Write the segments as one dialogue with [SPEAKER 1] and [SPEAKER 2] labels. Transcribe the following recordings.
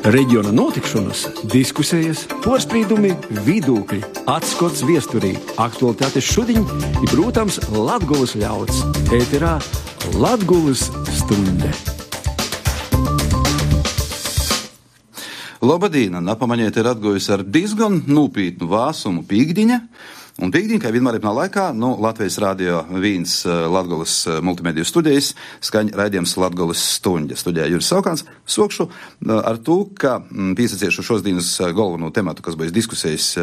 [SPEAKER 1] Reģiona notikšanas, diskusijas, porstrīdumi, vidūkļi, atskots viesturī, aktualitātes šodien ir, protams, Latgulas ļauds. Ēterā Latgulas stunde.
[SPEAKER 2] Labadīna, napamaņiet ir atgojusi ar diezgan nūpītnu vāsumu pīkdiņa. Un pīkdiņa, kā vienmēr ir laikā, Latvijas radio viens Latgulas multimediju studijas skaņ raidījums Latgulas stunde. Studijā Juris Saukāns. Sokšu ar to, ka pīsaciešu šodienas galveno tematu, kas būs diskusijas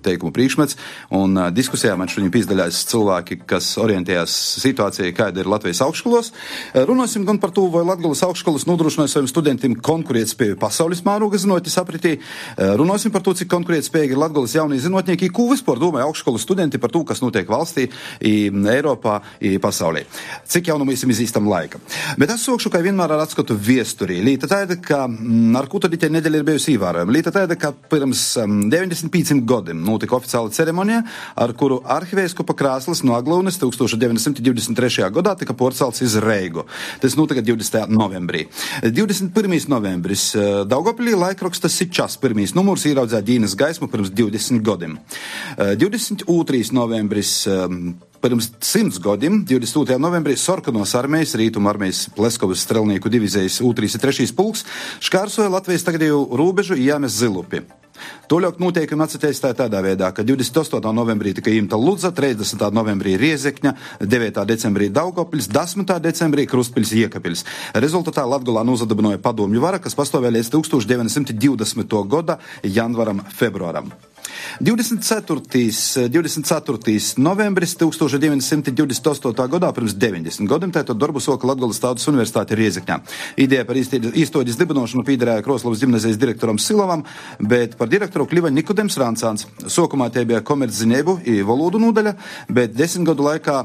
[SPEAKER 2] teikumu priekšmets. Un diskusijā man šodien pīsdaļās cilvēki, kas orientējās situācijai, kāda ir Latvijas augšskolos. Runāsim gan par to, vai Latgulas augšskolas nodrošināja saviem studentiem konkurētspēju pasaules mēroga zinotis apritī. Runāsim par to, cik konkurētspējīgi ir Latgulas jaunie zinotnieki, ko vispār domāja augšskolas studenti par to, kas notiek valstī, Eiropā, pasaulē. Cik jau mēs izīstam laika. Bet es sokšu, ka vienmēr ar atskatu viesturī. Līta tāda, ka ar ko tad itē nedēļa ir bijusi ievērojama. Līta tāda, ka pirms 95 gadiem notika oficiāla ceremonija, ar kuru arhivēskupa krēsls no Aglūnes 1923. gadā tika porcelts iz Reigu. Tas notika 20. novembrī. 21. novembris Daugavpilī laikrakstas Sičas pirmīs numurs ieraudzēja dienas gaismu pirms 20 gadiem. 22. novembris pirms 100 gadiem, 22. novembrī Sorkanos armijas, Rītuma armijas Pleskovas strelnieku divizijas 2. un 3. pulks škārsoja Latvijas tagadēju robežu Jāmes Zilupi. Toļāk noteikumi atsateistāja tādā veidā, ka 28. novembrī tika imta Ludza, 30. novembrī Riezekņa, 9. decembrī Daugavpils, 10. decembrī Krustpils Iekapils. Rezultatā Latgolā nozadabinoja padomju vara, kas pastāvēja līdz 1920. gada janvaram, februāram. 24. novembris 1928. gadā, pirms 90 gadiem, tātad darbu soka Latgulas Tautas Universitāte Riezekņā. Ideja par īstoģis dibinošanu pīderēja Kroslavas gimnazijas direktoram Silovam, bet par direktoru kļuva Nikodems Rancāns. Sokumā tie bija komercziņēbu i valodu nodaļa, bet 10 gadu laikā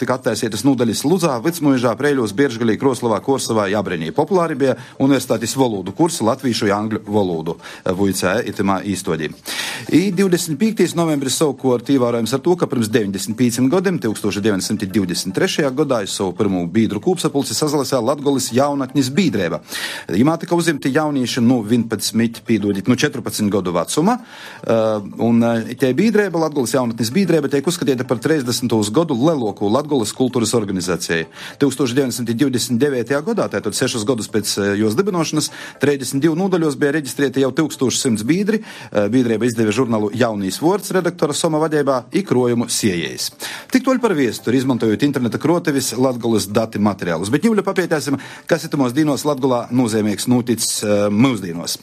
[SPEAKER 2] tika attaisītas nodaļas Ludzā, Vicmuižā, Preiļos, Bieržgalī, Kroslavā, Korsavā, Jabrenī. Populāri bija universitātes valodu kursi latvīšu un angļu valodu vuicē itimā īstoģī. 25. novembris savukārt ievērojams ar to, ka pirms 95 gadiem, 1923. gadā, es savu pirmo bīdru kūpsapulci sazalasēja Latgulas jaunatnis bīdrēba. Imā tika uzimti jaunieši 14 gadu vecuma, un tie bīdrēba, Latgulas jaunatnis bīdrēba, tiek uzskatīta par 30. gadu leloku Latgulas kultūras organizācijai. 1929. gadā, tātad 6 gadus pēc jos dibinošanas, 32 nodaļos bija reģistrēti jau 1100 bīdri. Bīdrēba izdeva žurnālu Jaunīs Vords redaktora Soma vadībā ikrojumu siejējis. Tik toļ par viesturi, izmantojot interneta krotevis Latgulas dati materiālus. Bet ņūļa papietēsim, kas itumos dīnos Latgulā nozīmīgs noticis mūsdīnos.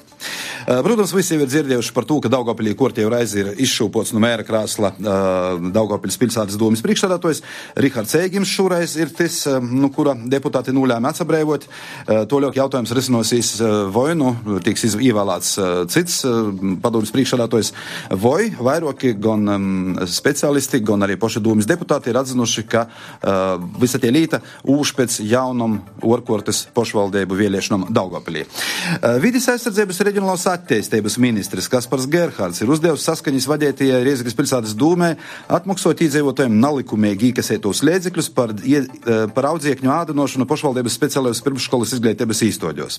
[SPEAKER 2] Protams, visi jau ir dzirdējuši par to, ka Daugavpilī kortieju reizi ir izšūpots no mēra krāsla Daugavpiļas pilsētas domas priekšsēdētājs. Rihards Ēgims šoreiz ir tas, kura deputāti nolēma atsabrēvot. Toļāk jautājums risinosies, vai tiks ievēlēts cits padomas priekšsēdētājs, vai vairāki gan speciālisti, gan arī poši domas deputāti ir atzinuši, ka visa tie līta ūš pēc jaunam orkortes pošvaldību vēlēšanam Daugavpilī. Vides aizsardzības reģionālās attīstības ministrs Kaspars Gerhards ir uzdevusi saskaņas vadētajai Riezekņas pilsētas dūmē atmaksot iedzīvotājiem nelikumīgi īkasētos līdzekļus par audziekņu ādinošanu pošvaldības speciālajos pirmškolas izglītības īstoģos.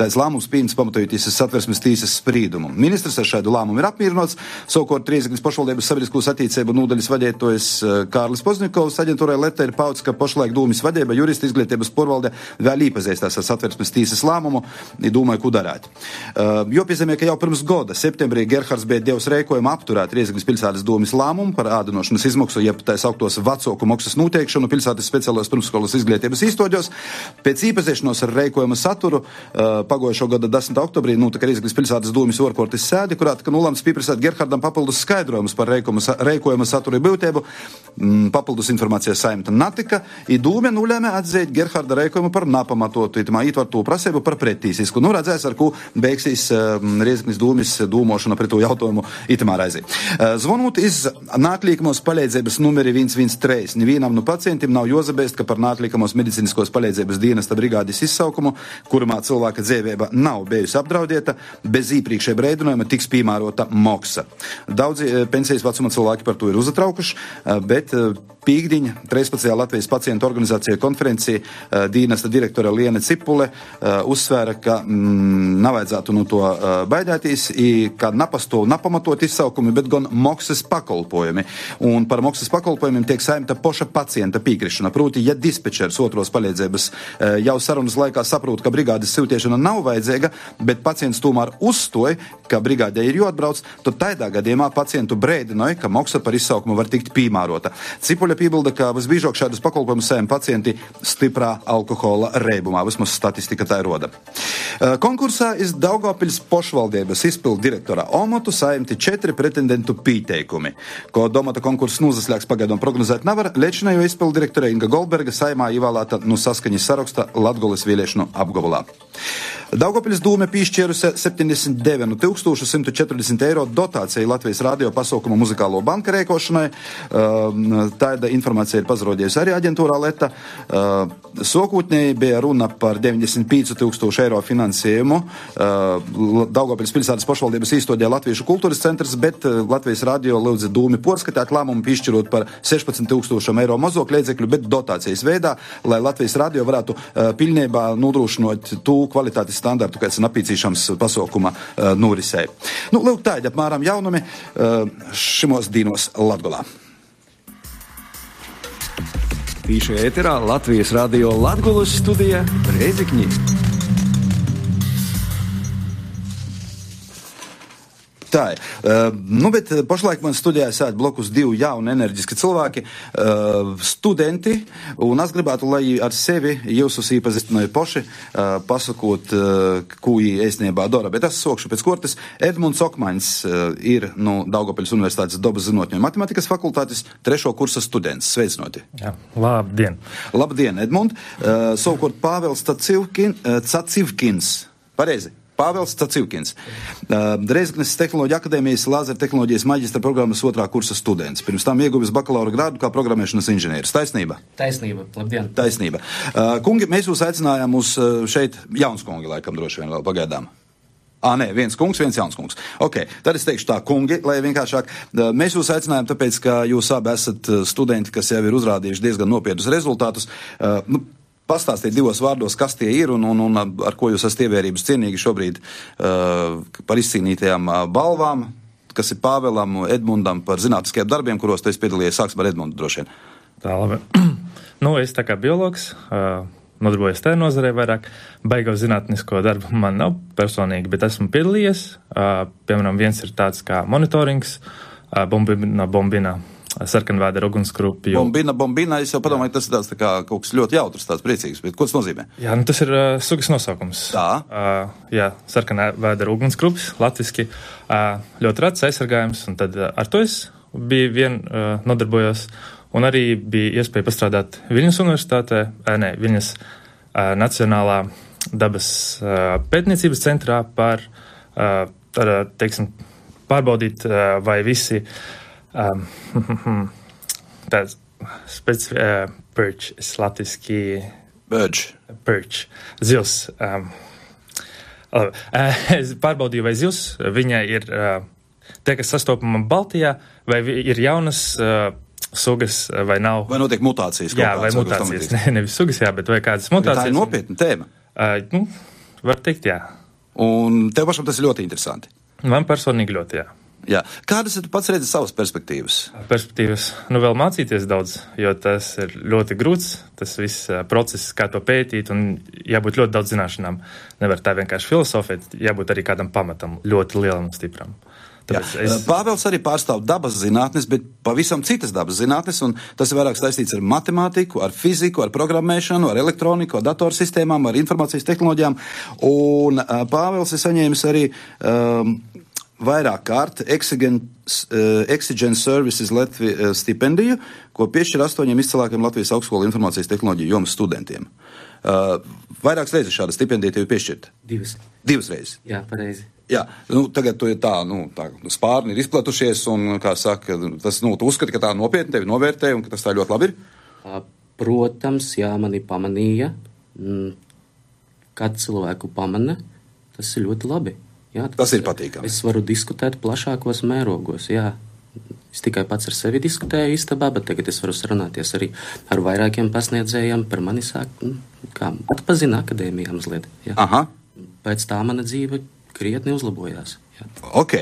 [SPEAKER 2] Tāds lēmums pieņems pamatojoties Satversmes tiesas sprīdumu. Ministrs ar šādu lēmumu ir apmierinots. Savukārt Riezekņas pošvaldības sabiedriskos attīstību nodaļas vadētājs Kārlis Pozņikovs aģentūrai Leta ir paudzis, ka pašlaik dūmis vadība jurista izglītības porvalde vēl īpazīstās ar Satversmes tiesas lēmumu un domāja, ko darāt. Jopiezīmē, ka jau pirms gada, septembrī, Gerhards bija devis rēkojumu apturēt Riezekņas pilsētas domas lēmumu par ādinošanas izmaksu, jeb tā sauktos vecāku maksas noteikšanu pilsētas speciālajos pirmskolas izglītības īstoģos. Pēc īpazīšanos ar rēkojuma saturu pagājušo gada 10. oktobrī notika Riezekņas pilsētas domas orkortes sēdi, kurā tika nolēmts pieprasīt Gerhardam papildus skaidrojumus par rēkojuma satura būtību. Papildus informācijas saimta natika, i dūme nolēma atzīt Gerharda rēkojumu par napamatotu, itamā ietvarto prasību par pretīsisku. Redzēs, ar ko beigsies Riezekņas dūmis dūmošana pret to jautājumu itamā raizī. Zvonot iz nāklīkamos palīdzības numeri 113. Nevienam no pacientiem nav jozabēst, ka par nāklīkamos medicīniskos palīdzības dienesta brigādes izsaukumu, kurumā cilvēka dzīvība nav bijusi apdraudēta, bez iepriekšēja brēdinājuma tiks piemērota maksa. Daudzi pensijas vecuma cilvēki par to ir uzatraukuši, bet Pīkdiņa 13. Latvijas pacientu organizācija konferencija dienesta direktore Liene Cipule uzsvēra, ka nav vajadzētu no to baidētīs, ka napastāv napamatot izsaukumi, bet gan maksas pakalpojumi. Un par maksas pakalpojumiem tiek saimta poša pacienta pīkrišana. Proti, ja dispečers otros palīdzības jau sarunas laikā saprot, ka brigādes siltiešana nav vajadzīga, bet pacients tomēr uzstoja, ka brigādē ir jāatbrauc, tad tādā gadījumā pacientu brēdinoja, ka maksa par izsaukumu var tikt piemērota. Cipuļa piebilda, ka visbiežāk šādus pakalpojumus saim pacienti stiprā alkohola reibumā. Vismaz statistika tā roda. Konkursā iz Daugavpils pošvaldības izpildu direktora omatu saimti 4 pretendentu pīteikumi. Ko domata konkurss nozaslēgs pagaidām prognozēt nevar, lečinējo izpildu direktore Inga Goldberga saimā ievēlēta no saskaņas saraksta Latgoles vēlēšanu apgabalā. Daugavpils dūme piešķērusi 79 140 eiro dotāciju Latvijas radio pasaukumu muzikālo banka rēkošanai. Tāda informācija ir pazarodījusi arī aģentūrā Leta. Sokūtnēji bija runa par 95 000 eiro finansējumu. Daugavpils pilsētas pašvaldības īstodē Latviešu kultūras centrs, bet Latvijas radio lūdza dūmi porskatāt lēmumu piešķirot par 16 000 eiro mazāk līdzekļu, bet dotācijas veidā, lai Latvijas radio varētu pilnībā nodrošinot tū kvalitātes standartu, kāds ir napīcīšams pasaukuma norisē. Nu, lūk, tādi apmēram jaunumi šimos dīnos Latgolā.
[SPEAKER 1] Tīši ēterā Latvijas radio Latgolas studija Reizekņi.
[SPEAKER 2] Tā ir. Bet pašlaik man studijā sēd blokus 2 jauni enerģiski cilvēki, studenti, un es gribētu, lai ar sevi jūs īpazīstināju poši, pasakot, ko viņi īstenībā dara. Bet es sokšu pēc kortes. Edmunds Okmaņs ir no Daugavpils Universitātes dabas zinātņu un matematikas fakultātes 3. kursa students. Sveicinoti.
[SPEAKER 3] Jā, labdien.
[SPEAKER 2] Labdien, Edmund. Savukārt Pāvils Cacivkins. Pareizi. Pāvils Cacivkins. Reizeknes tehnoloģija akadēmijas lāzera tehnoloģijas maģistra programmas 2. kursa students. Pirms tam ieguvis bakalaura grādu kā programmēšanas inženieris. Taisnība?
[SPEAKER 4] Taisnība. Labdien.
[SPEAKER 2] Taisnība. Kungi, mēs jūs aicinājām uz šeit jauns kungi, laikam droši vien vēl pagaidām. Nē, viens kungs, viens jauns kungs. Ok, tad es teikšu tā, kungi, lai vienkāršāk. Mēs jūs aicinājām tāpēc, ka jūs abi esat studenti, kas jau ir uzrādījuši diezgan nopietnus rezultātus. Pastāstiet 2 vārdos, kas tie ir un ar ko jūs esat ievērības cienīgi šobrīd par izcīnītajām balvām, kas ir Pāvelam, Edmundam par zinātniskajiem darbiem, kuros tu esi piedalījies. Sāksim ar Edmundu droši vien.
[SPEAKER 3] Tā, labi. Es tā kā biologs, nodarbojos tajā nozarē vairāk. Baigau zinātnisko darbu man nav personīgi, bet esmu piedalījies. Piemēram, viens ir tāds kā monitorings, bombina. Sarkanvēdera ugunsgrupju.
[SPEAKER 2] Bombina, es jau padomāju, tas ir tāds tā kā kaut kas ļoti jautrs, tāds priecīgs, bet ko tas nozīmē?
[SPEAKER 3] Jā, tas ir sugas nosaukums.
[SPEAKER 2] Tā?
[SPEAKER 3] Jā, sarkanvēdera ugunsgrupjas, latviski, ļoti rats aizsargājums, un tad ar to es biju nodarbojos, un arī bija iespēja pastrādāt Viļņas universitātē, Viļņas Nacionālā dabas pētniecības centrā par, teiksim, pārbaudīt, vai visi tāds perch, latviski perch, zils. Es pārbaudīju, vai zils viņai ir tie, kas sastopama Baltijā, vai ir jaunas sugas, vai nav.
[SPEAKER 2] Vai notiek mutācijas?
[SPEAKER 3] Jā, vai mutācijas. Nevis sugas, jā, bet vai kādas mutācijas.
[SPEAKER 2] Tā ir nopietna tēma.
[SPEAKER 3] Var teikt, jā.
[SPEAKER 2] Un tev pašam tas ir ļoti interesanti.
[SPEAKER 3] Man personīgi ļoti, jā.
[SPEAKER 2] Jā. Kādas tu pats redzi savas perspektīvas?
[SPEAKER 3] Perspektīvas, vēl mācīties daudz, jo tas ir ļoti grūts, tas viss process, kā to pētīt, un jābūt ļoti daudz zināšanām. Nevar tā vienkārši filosofēt, jābūt arī kādam pamatam, ļoti lielam un stipram.
[SPEAKER 2] Pāvils arī pārstāv dabas zinātnes, bet pavisam citas dabas zinātnes, un tas ir vairāk saistīts ar matemātiku, ar fiziku, ar programmēšanu, ar elektroniku, ar datorsistēmām, ar informācijas tehnoloģijām, un Pāvils ir saņēmis arī vairāk kārt Exigent Services Latvijas stipendiju, ko piešķir 8 izcilākiem Latvijas augstskolu informācijas tehnoloģiju jomas studentiem. Vairākas reizes šāda stipendija tev piešķirta?
[SPEAKER 4] 2.
[SPEAKER 2] 2 reizes?
[SPEAKER 4] Jā, pareizi.
[SPEAKER 2] Jā, tagad tu ir tā spārni ir izplatušies, un, kā saka, tas, tu uzskati, ka tā nopietni tevi novērtē, un ka tas tā ļoti labi ir?
[SPEAKER 4] Protams, jā, mani pamanīja. Kad cilvēku pamana, tas ir ļoti labi. Jā,
[SPEAKER 2] Tas ir patīkami.
[SPEAKER 4] Es varu diskutēt plašākos mērogos, jā. Es tikai pats ar sevi diskutēju istabā, bet tagad es varu sarunāties arī ar vairākiem pasniedzējiem, par mani atpazina akadēmijā mazliet. Jā.
[SPEAKER 2] Aha.
[SPEAKER 4] Pēc tā mana dzīve krietni uzlabojās. Jā.
[SPEAKER 2] Ok.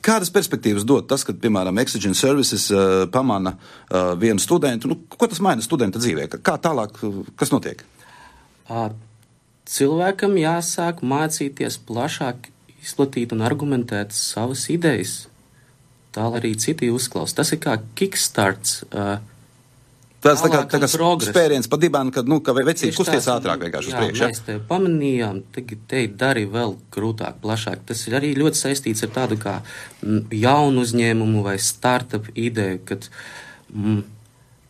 [SPEAKER 2] Kādas perspektīvas dod tas, kad, piemēram, Exigent Services pamana vienu studentu? Ko tas maina studenta dzīvē? Kā tālāk, kas notiek?
[SPEAKER 4] Cilvēkam jāsāk mācīties plašāk izplatīt un argumentēt savas idejas. Tā arī citi uzklaus. Tas ir kā kickstarts.
[SPEAKER 2] Tas tā kā spēriens pa dibānu, kad vecīgi kusties ātrāk vienkārši uz priekšu.
[SPEAKER 4] Jā, mēs te pamanījām, te dari vēl grūtāk, plašāk. Tas ir arī ļoti saistīts ar tādu kā jaunu uzņēmumu vai startup ideju, kad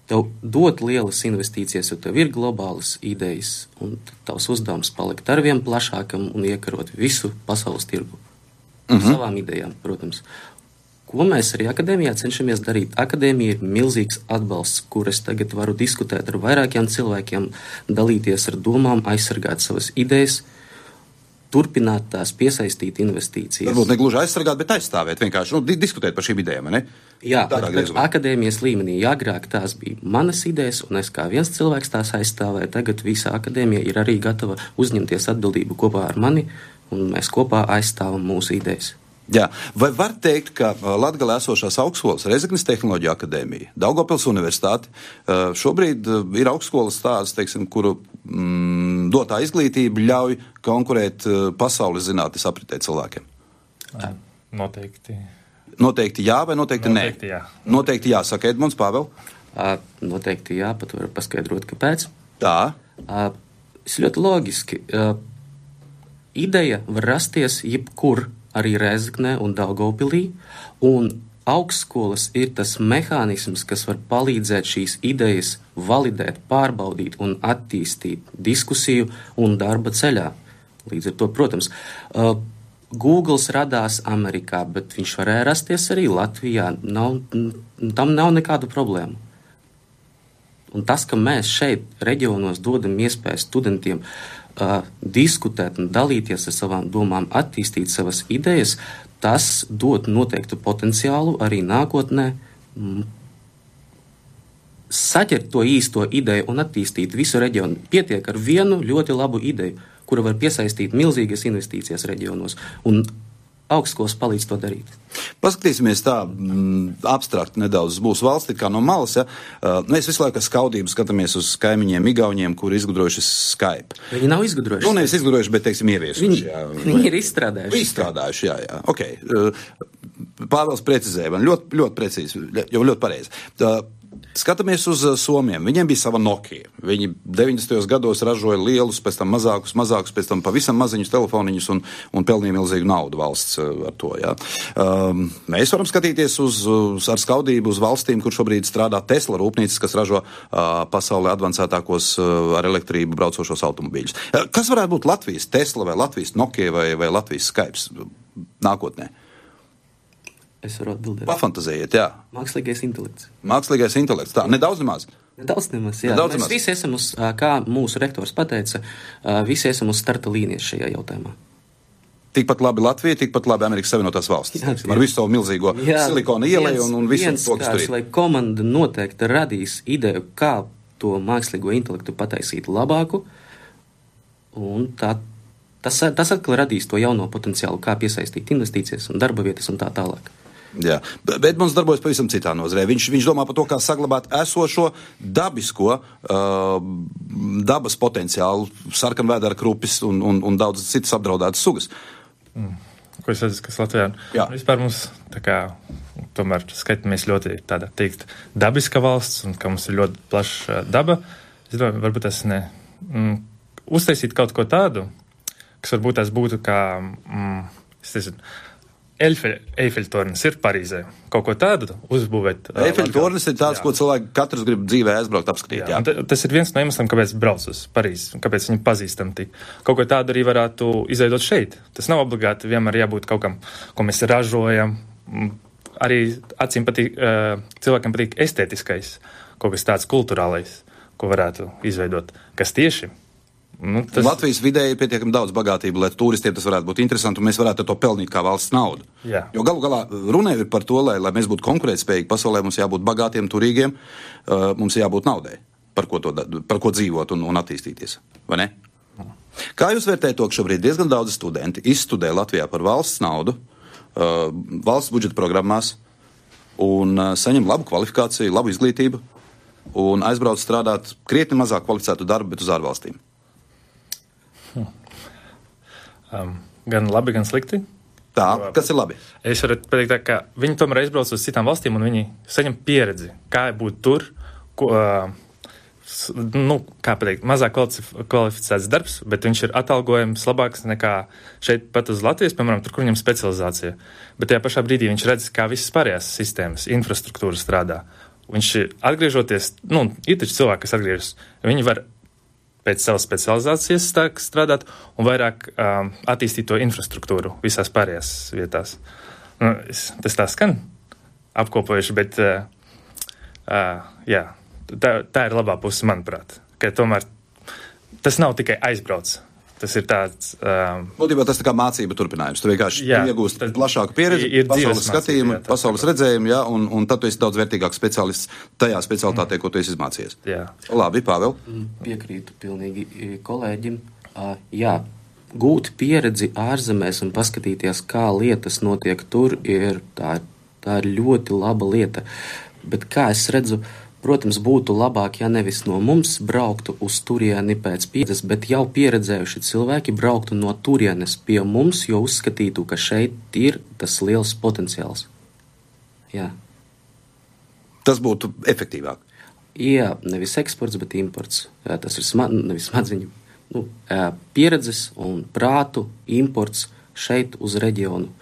[SPEAKER 4] tev dot lielas investīcijas, jo tev ir globālas idejas, un tavs uzdevums palikt arvien plašākam un iekarot visu pasaules tirgu. Savām idejām, protams. Ko mēs arī akadēmijā cenšamies darīt? Akadēmija ir milzīgs atbalsts, kur es tagad varu diskutēt ar vairākiem cilvēkiem, dalīties ar domām, aizsargāt savas idejas, turpināt tās, piesaistīt investīcijas.
[SPEAKER 2] Varbūt ne gluži aizsargāt, bet aizstāvēt, vienkārši diskutēt par šīm idejām, ne?
[SPEAKER 4] Jā, bet akadēmijas līmenī agrāk tās bija manas idejas, un es kā viens cilvēks tās aizstāvēju. Tagad visa akadēmija ir arī gatava uzņemties atbildību kopā ar mani, un mēs kopā aizstāvam mūsu idejas.
[SPEAKER 2] Jā. Vai var teikt, ka Latgalē esošās augstskolas, Rezeknes tehnoloģija akadēmija, Daugavpils universitāte, šobrīd ir augstskolas tādas, teiksim, kuru dotā izglītība ļauj konkurēt pasaules zinātnes apritē cilvēkiem?
[SPEAKER 3] Noteikti.
[SPEAKER 2] Noteikti jā vai noteikti nē?
[SPEAKER 3] Noteikti jā.
[SPEAKER 2] Noteikti jā. Saka Edmunds, Pāvēl?
[SPEAKER 4] Noteikti jā, pat varu paskaidrot, kāpēc.
[SPEAKER 2] Tā.
[SPEAKER 4] Es ļoti loģiski. Ideja var rasties jebkur, arī Rezeknē un Daugavpilī, un augstskolas ir tas mehānisms, kas var palīdzēt šīs idejas validēt, pārbaudīt un attīstīt diskusiju un darba ceļā. Līdz ar to, protams, Googles radās Amerikā, bet viņš varēja rasties arī Latvijā. Tam nav nekādu problēmu. Un tas, ka mēs šeit reģionos dodam iespēju studentiem diskutēt un dalīties ar savām domām, attīstīt savas idejas, tas dod noteiktu potenciālu arī nākotnē saķert to īsto ideju un attīstīt visu reģionu. Pietiek ar vienu ļoti labu ideju, kura var piesaistīt milzīgas investīcijas reģionos, un augstskolas palīdz to darīt.
[SPEAKER 2] Paskatīsimies tā abstrakt nedaudz uz mūsu valsti, kā no malas. Ja? Mēs visu laiku ar skaudību skatāmies uz kaimiņiem, igauņiem, kuri izgudrojuši Skype.
[SPEAKER 4] Viņi nav izgudrojuši.
[SPEAKER 2] Nevis izgudrojuši, bet, teiksim, ieviesuši.
[SPEAKER 4] Viņi ir izstrādājuši.
[SPEAKER 2] Izstrādājuši, jā. Ok. Pāvels precizēja man ļoti precīzi, jau ļoti pareizi. Skatāmies uz Somiem. Viņiem bija sava Nokia. Viņi 90. gados ražoja lielus, pēc tam mazākus, pēc tam pavisam maziņus telefoniņus un pelnīja milzīgu naudu valsts ar to. Ja. Mēs varam skatīties ar skaudību uz valstīm, kur šobrīd strādā Tesla rūpnīcas, kas ražo pasaulē advancētākos ar elektrību braucošos automobīļus. Kas varētu būt Latvijas Tesla vai Latvijas Nokia vai Latvijas Skype nākotnē?
[SPEAKER 4] Es varu atbildēt.
[SPEAKER 2] Pafantazējiet, jā.
[SPEAKER 4] Mākslīgais intelekts.
[SPEAKER 2] Mākslīgais intelekts, tā, nedaudz nemaz.
[SPEAKER 4] Nedaudz nemaz, jā. Mēs visi esam kā mūsu rektors pateica, visi esam uz starta līnijas šajā jautājumā.
[SPEAKER 2] Tikpat labi Latvija, tikpat labi Amerikas Savienotās valstis. Jā, ar visu savu milzīgo silikona ieleju un visu to, kas tur ir.
[SPEAKER 4] Vai komanda noteikti radīs ideju, kā to mākslīgo intelektu pataisīt labāku, un tas atkal radīs to jauno potenciālu, kā piesaistīt investīcijas un darba vietas un tā tālāk.
[SPEAKER 2] Jā, bet mums darbojas pavisam citā nozarē. Viņš domā par to, kā saglabāt esošo dabisko dabas potenciālu, sarkanvēdera krupis un daudz citas apdraudētas sugas.
[SPEAKER 3] Ko es redzu, kas Latvijā? Jā. Vispār mums tā kā tomēr skaitamies ļoti tāda teikt dabiska valsts un ka mums ir ļoti plaša daba. Es domāju, varbūt tas uztaisīt kaut ko tādu, kas varbūt tās būtu kā, Eifeļtornis ir Parīzē. Kaut ko tādu uzbūvēt.
[SPEAKER 2] Eifeļtornis ir tāds, ko cilvēki katrs grib dzīvē aizbraukt apskatīt. Jā.
[SPEAKER 3] Tas ir viens no iemesliem, kāpēc brauc uz Parīzi, kāpēc viņi pazīstam tik. Kaut ko tādu arī varētu izveidot šeit. Tas nav obligāti vienmēr jābūt kaut kam, ko mēs ražojam. Arī acīm patīk, cilvēkam patīk estētiskais, kaut kas tāds kulturālais, ko varētu izveidot. Kas tieši
[SPEAKER 2] Latvijas vidē ir pietiekami daudz bagātību, lai turistiem tas varētu būt interesanti, un mēs varētu ar to pelnīt kā valsts naudu.
[SPEAKER 3] Jā.
[SPEAKER 2] Jo galu galā runa ir par to, lai mēs būtu konkurētspējīgi pasaulē, mums jābūt bagātiem, turīgiem, mums jābūt naudai, par ko dzīvot un attīstīties, vai ne? Kā jūs vērtējat to, ka šobrīd diezgan daudz studenti izstudē Latvijā par valsts naudu, valsts budžeta programmās un saņem labu kvalifikāciju, labu izglītību un aizbrauc strādāt krietni mazāk kvalificētu darbu, bet uz ārvalstīm?
[SPEAKER 3] Gan labi, gan slikti.
[SPEAKER 2] Tā, kas ir labi?
[SPEAKER 3] Es varu pateikt tā, ka viņi tomēr aizbrauc uz citām valstīm un viņi saņem pieredzi, kā būt tur, kā pateikt, mazāk kvalificēts darbs, bet viņš ir atalgojums labāks nekā šeit pat uz Latvijas, piemēram, tur, kur viņam specializācija. Bet tajā pašā brīdī viņš redz, kā visas pārējās sistēmas, infrastruktūra strādā. Viņš atgriežoties, ir taču cilvēki, kas atgriežas, viņi var pēc savas specializācijas strādāt un vairāk attīstīt to infrastruktūru visās pārējās vietās. Tas tā skan apkopojuši, bet jā, tā ir labā puse, manuprāt, ka tomēr tas nav tikai aizbrauc. Tas ir tāds...
[SPEAKER 2] Būtībā tas tā kā mācība turpinājums. Tu vienkārši iegūst plašāku pieredzi, pasaules skatījumu, pasaules redzējumu, ja, un tad tu esi daudz vērtīgāks speciālists tajā specialitātē, ko tu esi izmācījies.
[SPEAKER 3] Jā.
[SPEAKER 2] Labi, Pāvēl.
[SPEAKER 4] Piekrītu pilnīgi kolēģim. Jā, gūt pieredzi ārzemēs un paskatīties, kā lietas notiek tur, tā ir ļoti laba lieta. Bet kā es redzu, protams, būtu labāk, ja nevis no mums brauktu uz turieni pēc pieredzes, bet jau pieredzējuši cilvēki brauktu no turienes pie mums, jo uzskatītu, ka šeit ir tas liels potenciāls. Jā.
[SPEAKER 2] Tas būtu efektīvāk.
[SPEAKER 4] Jā, nevis eksports, bet imports. Jā, tas ir nevis smadziņu. Pieredzes un prātu imports šeit uz reģionu.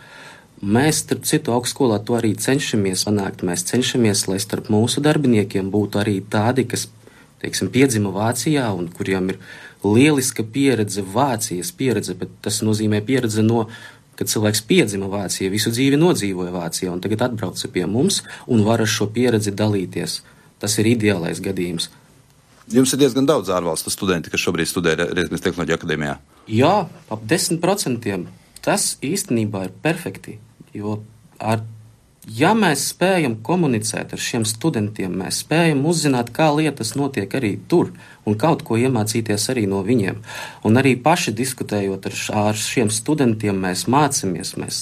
[SPEAKER 4] Mēs, starp citu, augstskolā to arī cenšamies panākt. Mēs cenšamies, lai starp mūsu darbiniekiem būtu arī tādi, kas, teiksim, piedzima Vācijā un kuriem ir lieliska pieredze, Vācijas pieredze, bet tas nozīmē pieredze kad cilvēks piedzima Vācijā, visu dzīvi nodzīvoja Vācijā un tagad atbrauca pie mums un var ar šo pieredzi dalīties. Tas ir ideālais gadījums.
[SPEAKER 2] Jums ir diezgan daudz ārvalstu studenti, kas šobrīd studē Rēzeknes Tehnoloģiju akadēmijā.
[SPEAKER 4] Jā, ap 10%. Tas īstenībā ir perfekti. Jo ja mēs spējam komunicēt ar šiem studentiem, mēs spējam uzzināt, kā lietas notiek arī tur un kaut ko iemācīties arī no viņiem. Un arī paši diskutējot ar šiem studentiem, mēs mācāmies, mēs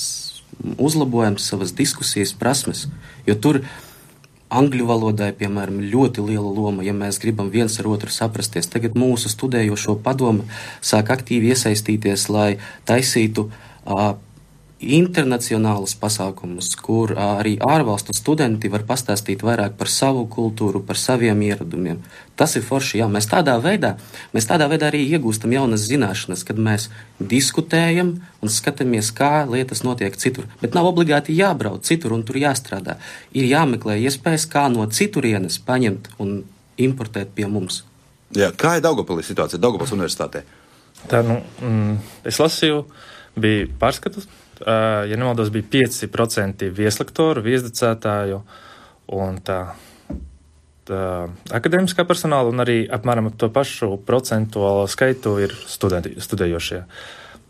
[SPEAKER 4] uzlabojam savas diskusijas prasmes. Jo tur angļu valodai, piemēram, ļoti liela loma, ja mēs gribam viens ar otru saprasties. Tagad mūsu studējošo padomu sāk aktīvi iesaistīties, lai taisītu internacionālus pasākumus, kur arī ārvalstu studenti var pastāstīt vairāk par savu kultūru, par saviem ieradumiem. Tas ir forši, jā. Mēs tādā veidā arī iegūstam jaunas zināšanas, kad mēs diskutējam un skatāmies, kā lietas notiek citur. Bet nav obligāti jābrauc citur un tur jāstrādā. Ir jāmeklē iespējas, kā no citurienes paņemt un importēt pie mums.
[SPEAKER 2] Jā, kā ir Daugavpilī situācija, Daugavpils universitātē?
[SPEAKER 3] Tā, es lasīju, bija pārskatus. Ja nemaldos, bija 5% vieslektoru, viesdocētāju un tā akadēmiskā personāla, un arī apmēram to pašu procentuālo skaitu ir studējošie.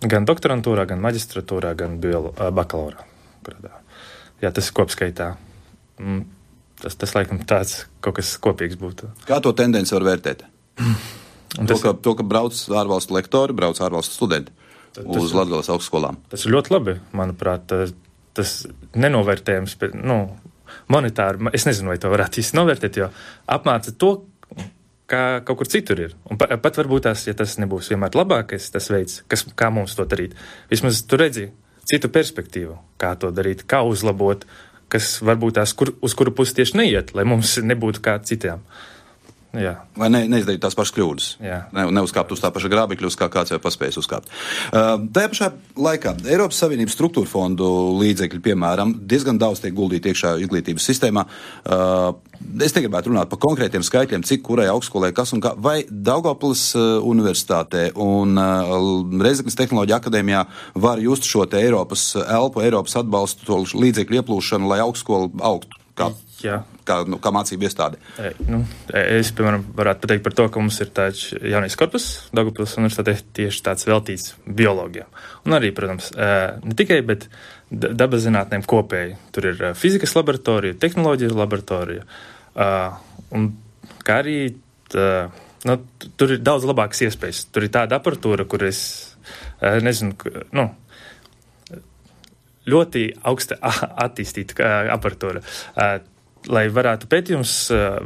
[SPEAKER 3] Gan doktorantūrā, gan maģistratūrā, gan bakalaurā. Jā, tas ir kopskaitā. Tas laikam tāds kaut kas kopīgs būtu. Kā
[SPEAKER 2] to tendenci var vērtēt? To, ka brauc ārvalstu lektori, brauc ārvalstu studenti. Uz Latgales augstskolām. Tas
[SPEAKER 3] ir ļoti labi, manuprāt. Tas nenovērtējums, monetāri, es nezinu, vai to varētu īsti novērtēt, jo apmāca to, kā kaut kur citur ir. Un pat varbūt ja tas nebūs vienmēr labākais, tas veids, kā mums to darīt. Vismaz tu redzi citu perspektīvu, kā to darīt, kā uzlabot, kas varbūt uz kuru pusi tieši neiet, lai mums nebūtu kā citiem. Jā.
[SPEAKER 2] Vai neizdarīt tās pašas kļūdas. Neuzkāpt uz tā paša grābekļa, uz kā kāds jau paspējis uzkāpt. Tajā pašā laikā Eiropas Savienības struktūra fondu līdzekļi, piemēram, diezgan daudz tiek guldīti iekšā izglītības sistēmā. Es negribētu runāt par konkrētiem skaitļiem, cik kurai augstskolē kas un kā. Vai Daugavpils universitātē un Rēzeknes Tehnoloģiju akadēmijā var just šo te Eiropas elpu, Eiropas atbalstu, to līdzekļu ieplūšanu, lai augstskola augtu? kā mācību iestāde.
[SPEAKER 3] Es, piemēram, varētu pateikt par to, ka mums ir tāds jaunais korpus Daugavpils universitātē tieši tāds veltīts biologijām. Un arī, protams, ne tikai, bet dabas zinātnēm kopēji. Tur ir fizikas laboratorija, tehnoloģijas laboratorija. Un kā arī tur ir daudz labākas iespējas. Tur ir tāda aparatūra, kur es nezinu, ļoti augsta attīstīta aparatūra, lai varētu pētījums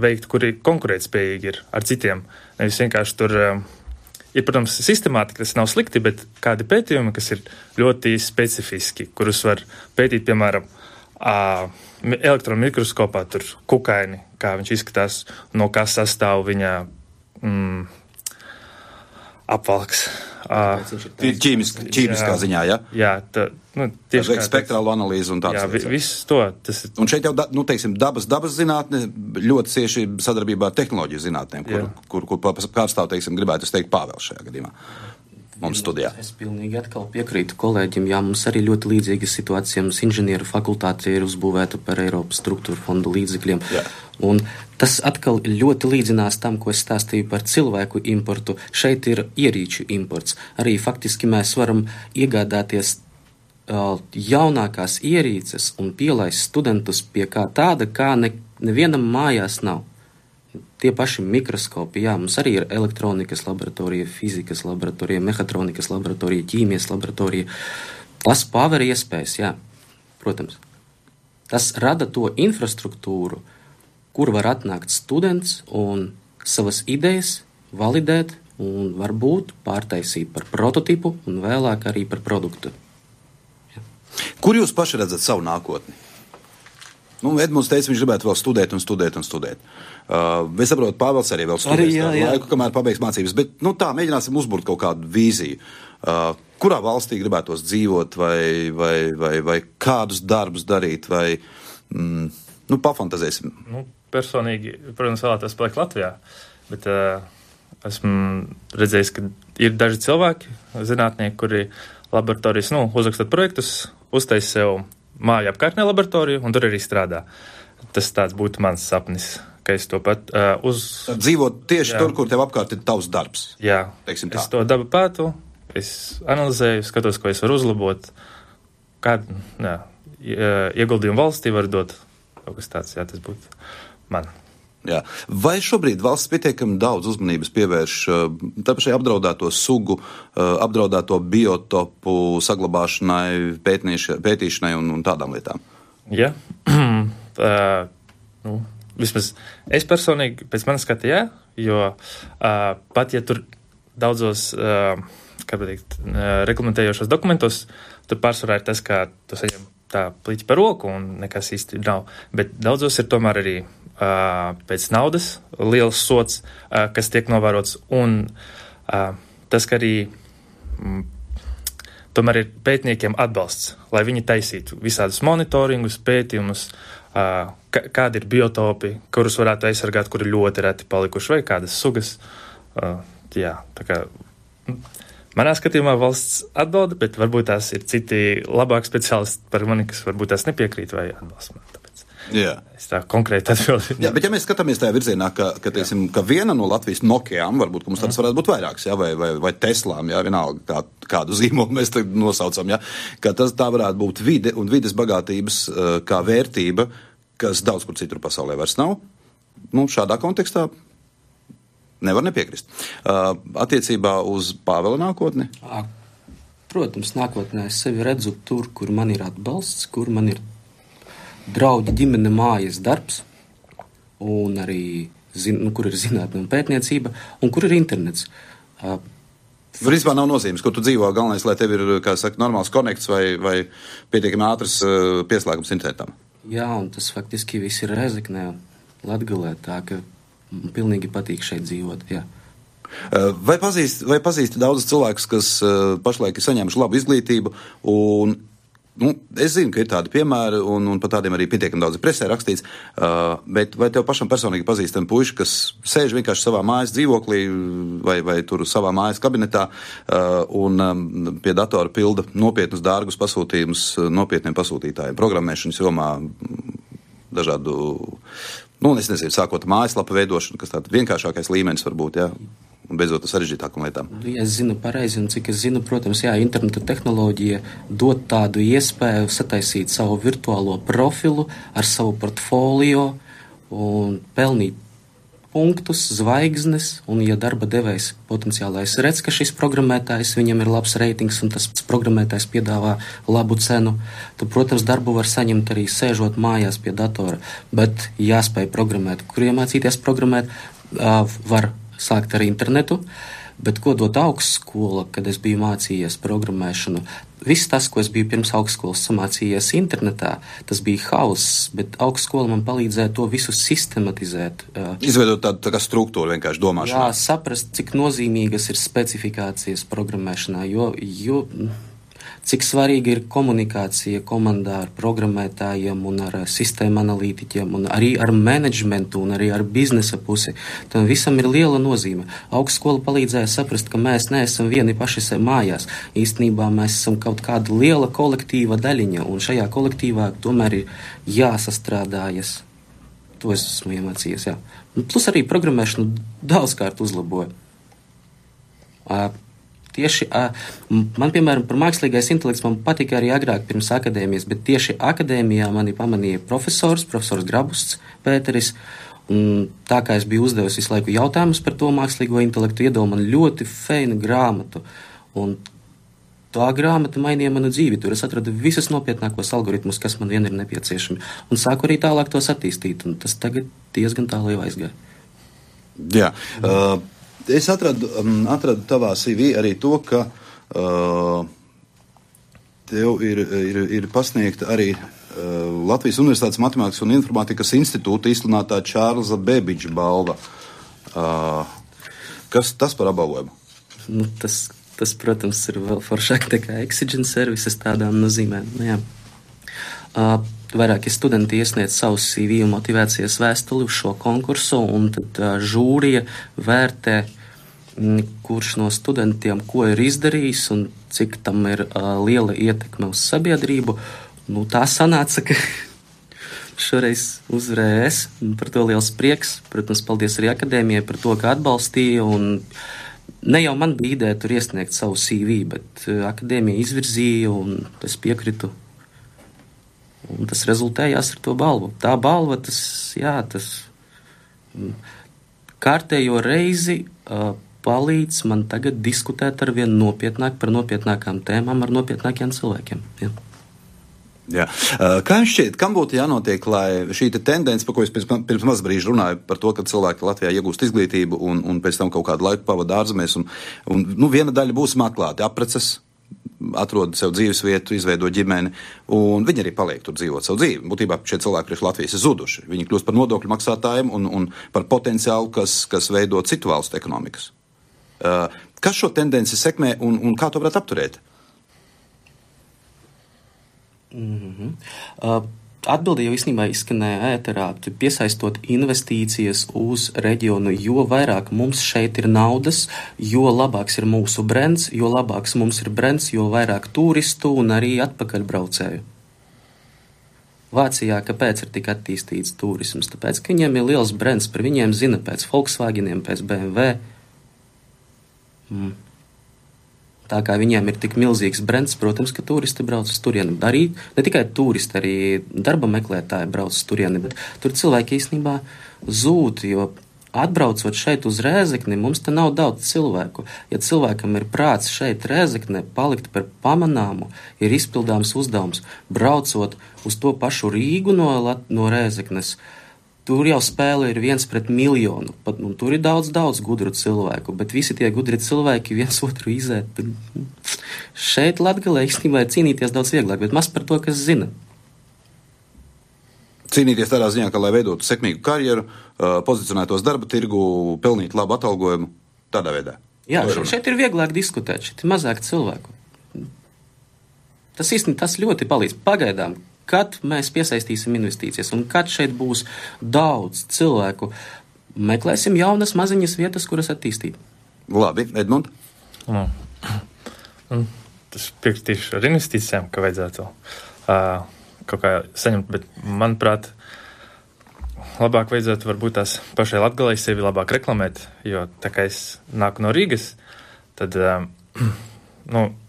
[SPEAKER 3] veikt, kuri konkurētspējīgi ir ar citiem. Nevis vienkārši tur ir, protams, sistemātika, tas nav slikti, bet kādi pētījumi, kas ir ļoti specifiski, kurus var pētīt, piemēram, elektronu mikroskopā, tur kukaini, kā viņš izskatās, no kā sastāv viņa apvalks.
[SPEAKER 2] Ķīmiskā ziņā, ja?
[SPEAKER 3] Jā, tieši
[SPEAKER 2] spektrālu analīzi un tāds.
[SPEAKER 3] Jā, viss to.
[SPEAKER 2] Un šeit jau, teiksim, dabas zinātne ļoti cieši sadarbībā ar tehnoloģiju zinātnēm, kur pārstāv, teiksim, gribētu teikt Pāvels šajā gadījumā. Mums studijā.
[SPEAKER 4] Es pilnīgi atkal piekrītu kolēģim, jā, mums arī ļoti līdzīga situācija, mums inženieru fakultāte ir uzbūvēta par Eiropas struktūra fondu līdzekļiem. Jā. Un tas atkal ļoti līdzinās tam, ko es stāstīju par cilvēku importu. Šeit ir ierīču imports. Arī faktiski mēs varam iegādāties jaunākās ierīces un pielaist studentus pie kā tāda, kā nevienam mājās nav. Tie paši mikroskopi, jā, mums arī ir elektronikas laboratorija, fizikas laboratorija, mehatronikas laboratorija, ķīmijas laboratorija. Tas paver iespējas, jā, protams. Tas rada to infrastruktūru, kur var atnākt students un savas idejas validēt un varbūt pārtaisīt par prototipu un vēlāk arī par produktu. Jā.
[SPEAKER 2] Kur jūs paši redzat savu nākotni? Edmunds teica, viņš gribētu vēl studēt. Es saprotu, Pāvels arī vēl studēs laiku, kamēr pabeigs mācības, bet mēģināsim uzburt kaut kādu vīziju. Kurā valstī gribētos dzīvot vai kādus darbus darīt vai, pafantazēsim.
[SPEAKER 3] Personīgi, protams, vēlētos palikt Latvijā, bet esmu redzējis, ka ir daži cilvēki, zinātnieki, kuri laboratorijas, uzrakstot projektus, uztais sev māju apkārtnē laboratoriju, un tur arī strādā. Tas tāds būtu mans sapnis, ka es to pat
[SPEAKER 2] dzīvot tieši tur, kur tev apkārt ir tavs darbs.
[SPEAKER 3] Jā, es to dabu pētu, es analizēju, skatos, ko es varu uzlabot, kādu ieguldījumu valstī var dot. Kaut kas tāds, tas būtu man.
[SPEAKER 2] Jā. Vai šobrīd valsts pietiekami daudz uzmanības pievērš tāpašai apdraudēto sugu, apdraudēto biotopu saglabāšanai, pētīšanai un tādām lietām?
[SPEAKER 3] Jā. Vismaz es personīgi pēc manas skata, jā, jo pat ja tur daudzos, reglamentējošos dokumentos, tur pārsvarā ir tas, ka tu saņem tā pliķi par roku un nekas īsti nav, bet daudzos ir tomēr arī pēc naudas liels sots, kas tiek novērots, un tas, ka arī tomēr ir pētniekiem atbalsts, lai viņi taisītu visādus monitoringus, pētījumus, kādi ir biotopi, kurus varētu aizsargāt, kuri ļoti reti palikuši, vai kādas sugas. Tā kā manā skatījumā valsts atbalda, bet varbūt tās ir citi labāki speciālisti par mani, kas varbūt tās nepiekrīt vai atbalsta man.
[SPEAKER 2] Jā.
[SPEAKER 3] Es tā konkrēti atbildīju.
[SPEAKER 2] Jā, bet ja mēs skatāmies tajā virzienā, ka viena no Latvijas Nokiām, varbūt, ka mums tādas varētu būt vairākas, vai Teslām, vienalga kādu zīmolu mēs tagad nosaucam, ka tā varētu būt vide un vides bagātības kā vērtība, kas daudz kur citur pasaulē vairs nav. Šādā kontekstā nevar nepiekrist. Attiecībā uz Pāvela nākotni?
[SPEAKER 4] Protams, nākotnē es sevi redzu tur, kur man ir atbalsts, kur man ir draugi, ģimene, mājas darbs, un arī, kur ir zinātne un pētniecība, un kur ir internets.
[SPEAKER 2] Vispār nav nozīmes, kur tu dzīvo, galvenais, lai tev ir, kā saka, normāls konekts vai pietiekami ātrs pieslēgums internetam.
[SPEAKER 4] Jā, un tas faktiski viss ir Rēzeknē, Latgalē, tā ka man pilnīgi patīk šeit dzīvot, jā.
[SPEAKER 2] Vai pazīsti daudzus cilvēkus, kas pašlaik ir saņēmuši labu izglītību, un es zinu, ka ir tādi piemēri, un par tādiem arī pietiekami daudz presē rakstīts, bet vai tev pašam personīgi pazīstami puiši, kas sēž vienkārši savā mājas dzīvoklī vai tur savā mājas kabinetā un pie datora pilda nopietnus dārgus pasūtījumus nopietniem pasūtītājiem, programmēšanas jomā, dažādu, es nezinu, sākot mājaslapu veidošanu, kas tāds vienkāršākais līmenis varbūt, jā, un beidzot ar sarežģītākām lietām.
[SPEAKER 4] Ja es zinu pareizi, un cik es zinu, protams, jā, interneta tehnoloģija dod tādu iespēju sataisīt savu virtuālo profilu ar savu portfolio un pelnīt punktus, zvaigznes, un ja darba devējs potenciālais redz, ka šis programmētājs, viņam ir labs reitings un tas programmētājs piedāvā labu cenu, tad, protams, darbu var saņemt arī sēžot mājās pie datora, bet jāspēj programmēt. Kur iemācīties programmēt, var sākt ar internetu, bet ko dot augstskola, kad es biju mācījies programmēšanu? Viss tas, ko es biju pirms augstskolas samācījies internetā, tas bija hauss, bet augstskola man palīdzēja to visu sistematizēt.
[SPEAKER 2] Izveidot tādu tā kā struktūru vienkārši domāšanā.
[SPEAKER 4] Jā, saprast, cik nozīmīgas ir specifikācijas programmēšanā, jo cik svarīga ir komunikācija komandā ar programmētājiem un ar sistēmu analītiķiem un arī ar menedžmentu un arī ar biznesa pusi. Tam visam ir liela nozīme. Augstskola palīdzēja saprast, ka mēs neesam vieni paši mājās. Īstenībā mēs esam kaut kāda liela kolektīva daļiņa, un šajā kolektīvā tomēr ir jāsastrādājas. To es esmu iemācījies, jā. Plus arī programmēšanu daudzkārt uzlaboja. Tieši man, piemēram, par mākslīgais intelekts man patika arī agrāk pirms akadēmijas, bet tieši akadēmijā mani pamanīja profesors Grabusts Pēteris, un tā kā es biju uzdevis visu laiku jautājumus par to mākslīgo intelektu, iedeva man ļoti feinu grāmatu, un tā grāmata mainīja manu dzīvi, tur es atradu visus nopietnākos algoritmus, kas man vien ir nepieciešami, un sāku arī tālāk tos attīstīt, un tas tagad diezgan tālu jau aizgāja.
[SPEAKER 2] Jā, es atradu tavā CV arī to, ka tev ir pasniegta arī Latvijas Universitātes Matemātikas un Informātikas institūta izsludinātā Čārlza Bēbiģa balva. Kas tas par apbalvojumu?
[SPEAKER 4] Tas, protams, ir vēl foršāk nekā Exigent services tādām nozīmēm. Jā. Vairāki studenti iesniedz savu CV un motivācijas vēstuli uz šo konkursu, un tad žūrija vērtē, kurš no studentiem ko ir izdarījis un cik tam ir liela ietekme uz sabiedrību. Tā sanāca, ka šoreiz uzvarēju es, un par to liels prieks. Protams, paldies arī akadēmijai par to, ka atbalstīja, un ne jau man bija ideja tur iesniegt savu CV, bet akadēmija izvirzīja, un es piekritu. Un tas rezultējās ar to balvu. Tā balva, tas kārtējo reizi palīdz man tagad diskutēt ar vien nopietnāk par nopietnākām tēmām ar nopietnākiem cilvēkiem. Jā.
[SPEAKER 2] Jā. Kā jums šķiet, kam būtu jānotiek, lai šī tendence, par ko es pirms maz brīža runāju, par to, ka cilvēki Latvijā iegūst izglītību un pēc tam kaut kādu laiku pavada ārzemēs, un viena daļa būs meklēti apreces, atrod sev dzīves vietu, izveido ģimeni, un viņi arī paliek tur dzīvot savu dzīvi. Būtībā šie cilvēki priekš Latvijas ir zuduši. Viņi kļūst par nodokļu maksātājiem un par potenciālu, kas veido citu valstu ekonomikas. Kas šo tendenci sekmē un kā to varētu apturēt?
[SPEAKER 4] Atbilde jau īstenībā izskanēja ēterā, piesaistot investīcijas uz reģionu, jo vairāk mums šeit ir naudas, jo labāks ir mūsu brands, jo labāks mums ir brands, jo vairāk turistu un arī atpakaļbraucēju. Vācijā kāpēc ir tik attīstīts turisms? Tāpēc, ka viņiem ir liels brands, par viņiem zina pēc Volkswageniem, pēc BMW. Tā kā viņiem ir tik milzīgs brands, protams, ka turisti brauc uz turieni. Arī ne tikai turisti, arī darba meklētāji brauc uz turieni, bet tur cilvēki īstenībā zūd, jo atbraucot šeit uz Rēzekni, mums te nav daudz cilvēku. Ja cilvēkam ir prāts šeit Rēzeknē palikt par pamanāmu, ir izpildāms uzdevums. Braucot uz to pašu Rīgu no Rēzeknes, tur jau spēle ir 1:1,000,000, un tur ir daudz gudru cilvēku, bet visi tie gudri cilvēki viens otru izēt. Šeit Latgalē īstenībā ir cīnīties daudz vieglāk, bet maz par to, kas zina.
[SPEAKER 2] Cīnīties tādā ziņā, ka, lai veidotu sekmīgu karjeru, pozicionētos darba tirgu, pelnītu labu atalgojumu, tādā veidā.
[SPEAKER 4] Jā, šeit ir vieglāk diskutēt, šeit ir mazāk cilvēku. Tas īstenībā tas ļoti palīdz pagaidām. Kad mēs piesaistīsim investīcijas un kad šeit būs daudz cilvēku, meklēsim jaunas maziņas vietas, kuras attīstīt.
[SPEAKER 2] Labi, Edmund?
[SPEAKER 3] Tas piekritīšu ar investīcijām, ka vajadzētu kaut kā saņemt, bet, manuprāt, labāk vajadzētu varbūt tās pašai Latgalei sevi labāk reklamēt, jo tā kā es nāku no Rīgas, tad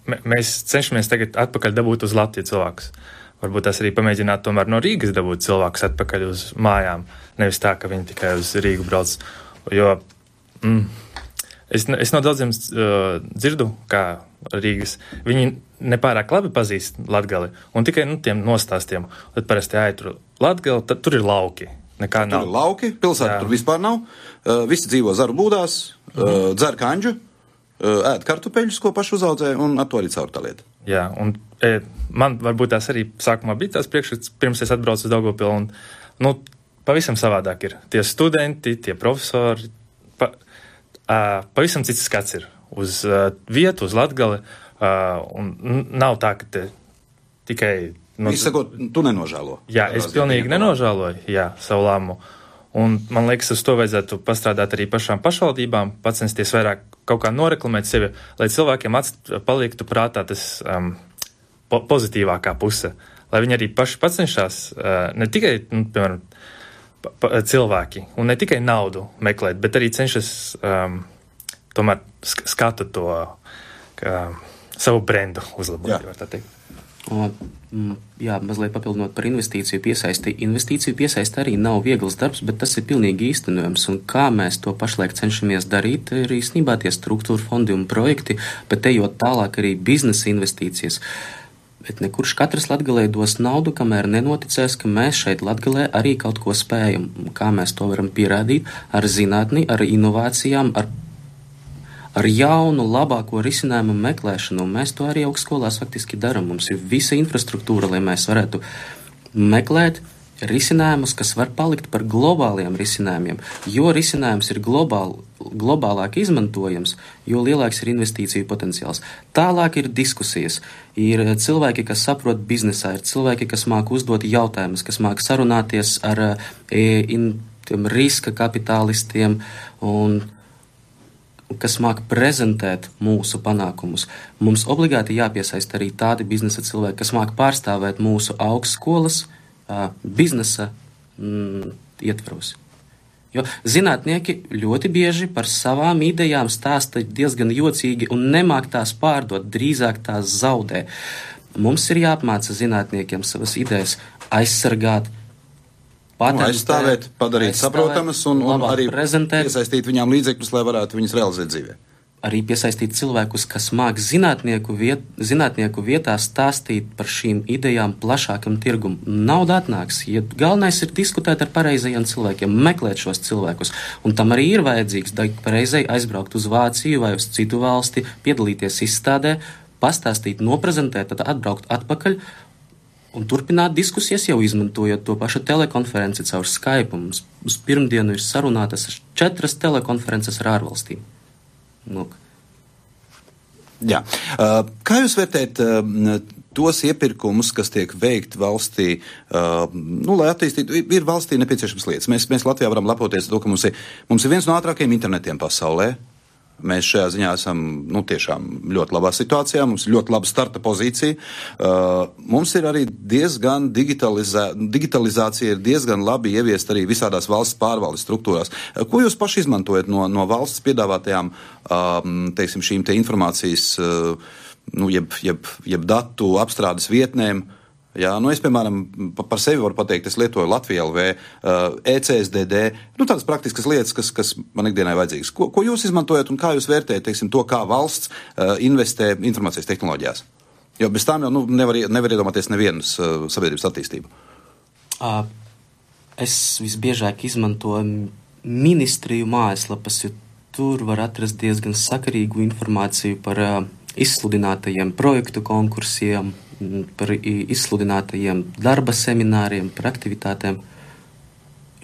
[SPEAKER 3] mēs cenšamies tagad atpakaļ dabūt uz Latviju cilvēkus. Varbūt tās arī pamēģināt tomēr no Rīgas dabūt cilvēkus atpakaļ uz mājām, nevis tā, ka viņi tikai uz Rīgu brauc. Jo es no daudziem dzirdu, kā Rīgas, viņi nepārāk labi pazīst Latgali, un tikai tiem nostāstiem. Tad parasti tur Latgali, tad tur ir lauki. Nekā nav.
[SPEAKER 2] Tur ir lauki, pilsēta tur vispār nav. Visi dzīvo zaru būdās, dzer kanģu, ēd kartupeļus, ko paši uzaudzē, un ar to arī caur tā lieta.
[SPEAKER 3] Jā, un man varbūt tās arī sākumā bija tās priekšstats, pirms es atbraucu uz Daugavpilu, un pavisam savādāk ir. Tie studenti, tie profesori, pavisam cits skats ir uz vietu, uz Latgali, un nav tā, ka te tikai...
[SPEAKER 2] Viņš sakot, tu nenožēlo.
[SPEAKER 3] Jā, es pilnīgi nenožēloju, savu lēmumu. Un man liekas, uz to vajadzētu pastrādāt arī pašām pašvaldībām, pacensties vairāk kaut kā noreklamēt sevi, lai cilvēkiem paliktu prātā tas pozitīvākā puse. Lai viņi arī paši pacenšās, ne tikai, piemēram, cilvēki, un ne tikai naudu meklēt, bet arī cenšas tomēr skatu to savu brendu uzlabot, var tā teikt.
[SPEAKER 4] Mazliet papildinot par investīciju piesaisti. Investīciju piesaisti arī nav viegls darbs, bet tas ir pilnīgi īstenojams. Un kā mēs to pašlaik cenšamies darīt, ir īstenībā tie struktūra fondi un projekti, bet ejot tālāk arī biznesa investīcijas. Bet nekurš katrs Latgalē dos naudu, kamēr nenoticēs, ka mēs šeit Latgalē arī kaut ko spējam. Kā mēs to varam pierādīt ar zinātni, ar inovācijām, ar jaunu, labāko risinājumu meklēšanu. Mēs to arī augstskolās faktiski darām. Mums ir visa infrastruktūra, lai mēs varētu meklēt risinājumus, kas var palikt par globāliem risinājumiem. Jo risinājums ir globālāk izmantojams, jo lielāks ir investīciju potenciāls. Tālāk ir diskusijas. Ir cilvēki, kas saprot biznesā, ir cilvēki, kas māk uzdot jautājumus, kas māk sarunāties ar riska kapitālistiem un kas māk prezentēt mūsu panākumus. Mums obligāti jāpiesaista arī tādi biznesa cilvēki, kas māk pārstāvēt mūsu augstskolas biznesa ietvaros. Jo zinātnieki ļoti bieži par savām idejām stāsta diezgan jocīgi un nemāk tās pārdot, drīzāk tās zaudē. Mums ir jāapmāca zinātniekiem savas idejas aizsargāt,
[SPEAKER 2] aizstāvēt, padarīt saprotamas un arī piesaistīt viņām līdzekļus, lai varētu viņas realizēt dzīvē.
[SPEAKER 4] Arī piesaistīt cilvēkus, kas māk zinātnieku vietā stāstīt par šīm idejām plašākam tirgum. Nauda atnāks, ja galvenais ir diskutēt ar pareizajiem cilvēkiem, meklēt šos cilvēkus. Un tam arī ir vajadzīgs pareizai aizbraukt uz Vāciju vai uz citu valsti, piedalīties izstādē, pastāstīt, noprezentēt, tad atbraukt atpakaļ un turpināt diskusijas, jau izmantojot to pašu telekonferenci caur Skype. Mums uz pirmdienu ir sarunātas 4 telekonferences ar ārvalstīm. Lūk.
[SPEAKER 2] Jā. Kā jūs vērtējat tos iepirkumus, kas tiek veikti valstī, lai attīstītu, ir valstī nepieciešams lietas. Mēs Latvijā varam lepoties to, ka mums ir viens no ātrākajiem internetiem pasaulē. Mēs šajā ziņā esam tiešām ļoti labā situācijā, mums ir ļoti laba starta pozīcija. Mums ir arī diezgan digitalizācija ir diezgan labi ieviest arī visādās valsts pārvaldes struktūrās. Ko jūs paši izmantojat no valsts piedāvātajām, teiksim, šīm te informācijas, jeb datu apstrādes vietnēm? Jā, es, piemēram, par sevi varu pateikt, es lietoju Latvija LV, ECSDD, tādas praktiskas lietas, kas man ikdienai vajadzīgas. Ko jūs izmantojat un kā jūs vērtējat, teiksim, to, kā valsts investē informācijas tehnoloģijās? Jo bez tām jau nevar iedomāties nevienas sabiedrības attīstību.
[SPEAKER 4] Es visbiežāk izmantoju ministriju mājaslapas, jo tur var atrast diezgan sakarīgu informāciju par izsludinātajiem projektu konkursiem, par izsludinātajiem darba semināriem, par aktivitātēm.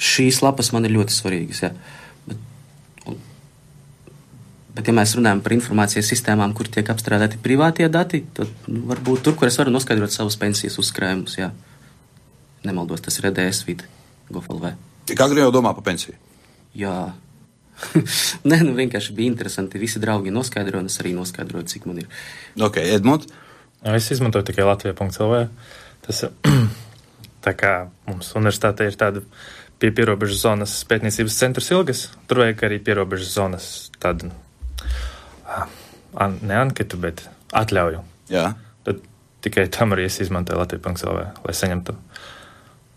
[SPEAKER 4] Šīs lapas man ir ļoti svarīgas, jā. Bet ja mēs runājam par informācijas sistēmām, kur tiek apstrādāti privātie dati, tad varbūt tur, kur es varu noskaidrot savus pensijas uzkrājumus, jā. Nemaldos, tas ir EDS vide, GovLV.
[SPEAKER 2] Kā agri jau domā par pensiju?
[SPEAKER 4] Jā. Vienkārši bija interesanti. Visi draugi noskaidro, un es arī noskaidroju, cik man ir.
[SPEAKER 2] Ok, Edmund?
[SPEAKER 3] Es izmantoju tikai Latvija.lv. Tas tā kā mums universitātē ir tāda pie pierobežas zonas pētniecības centrs Ilgas. Tur vajag arī pierobežas zonas tādu, ne anketu, bet atļauju.
[SPEAKER 2] Jā.
[SPEAKER 3] Tad tikai tam arī es izmantoju Latvija.lv, lai saņemtu.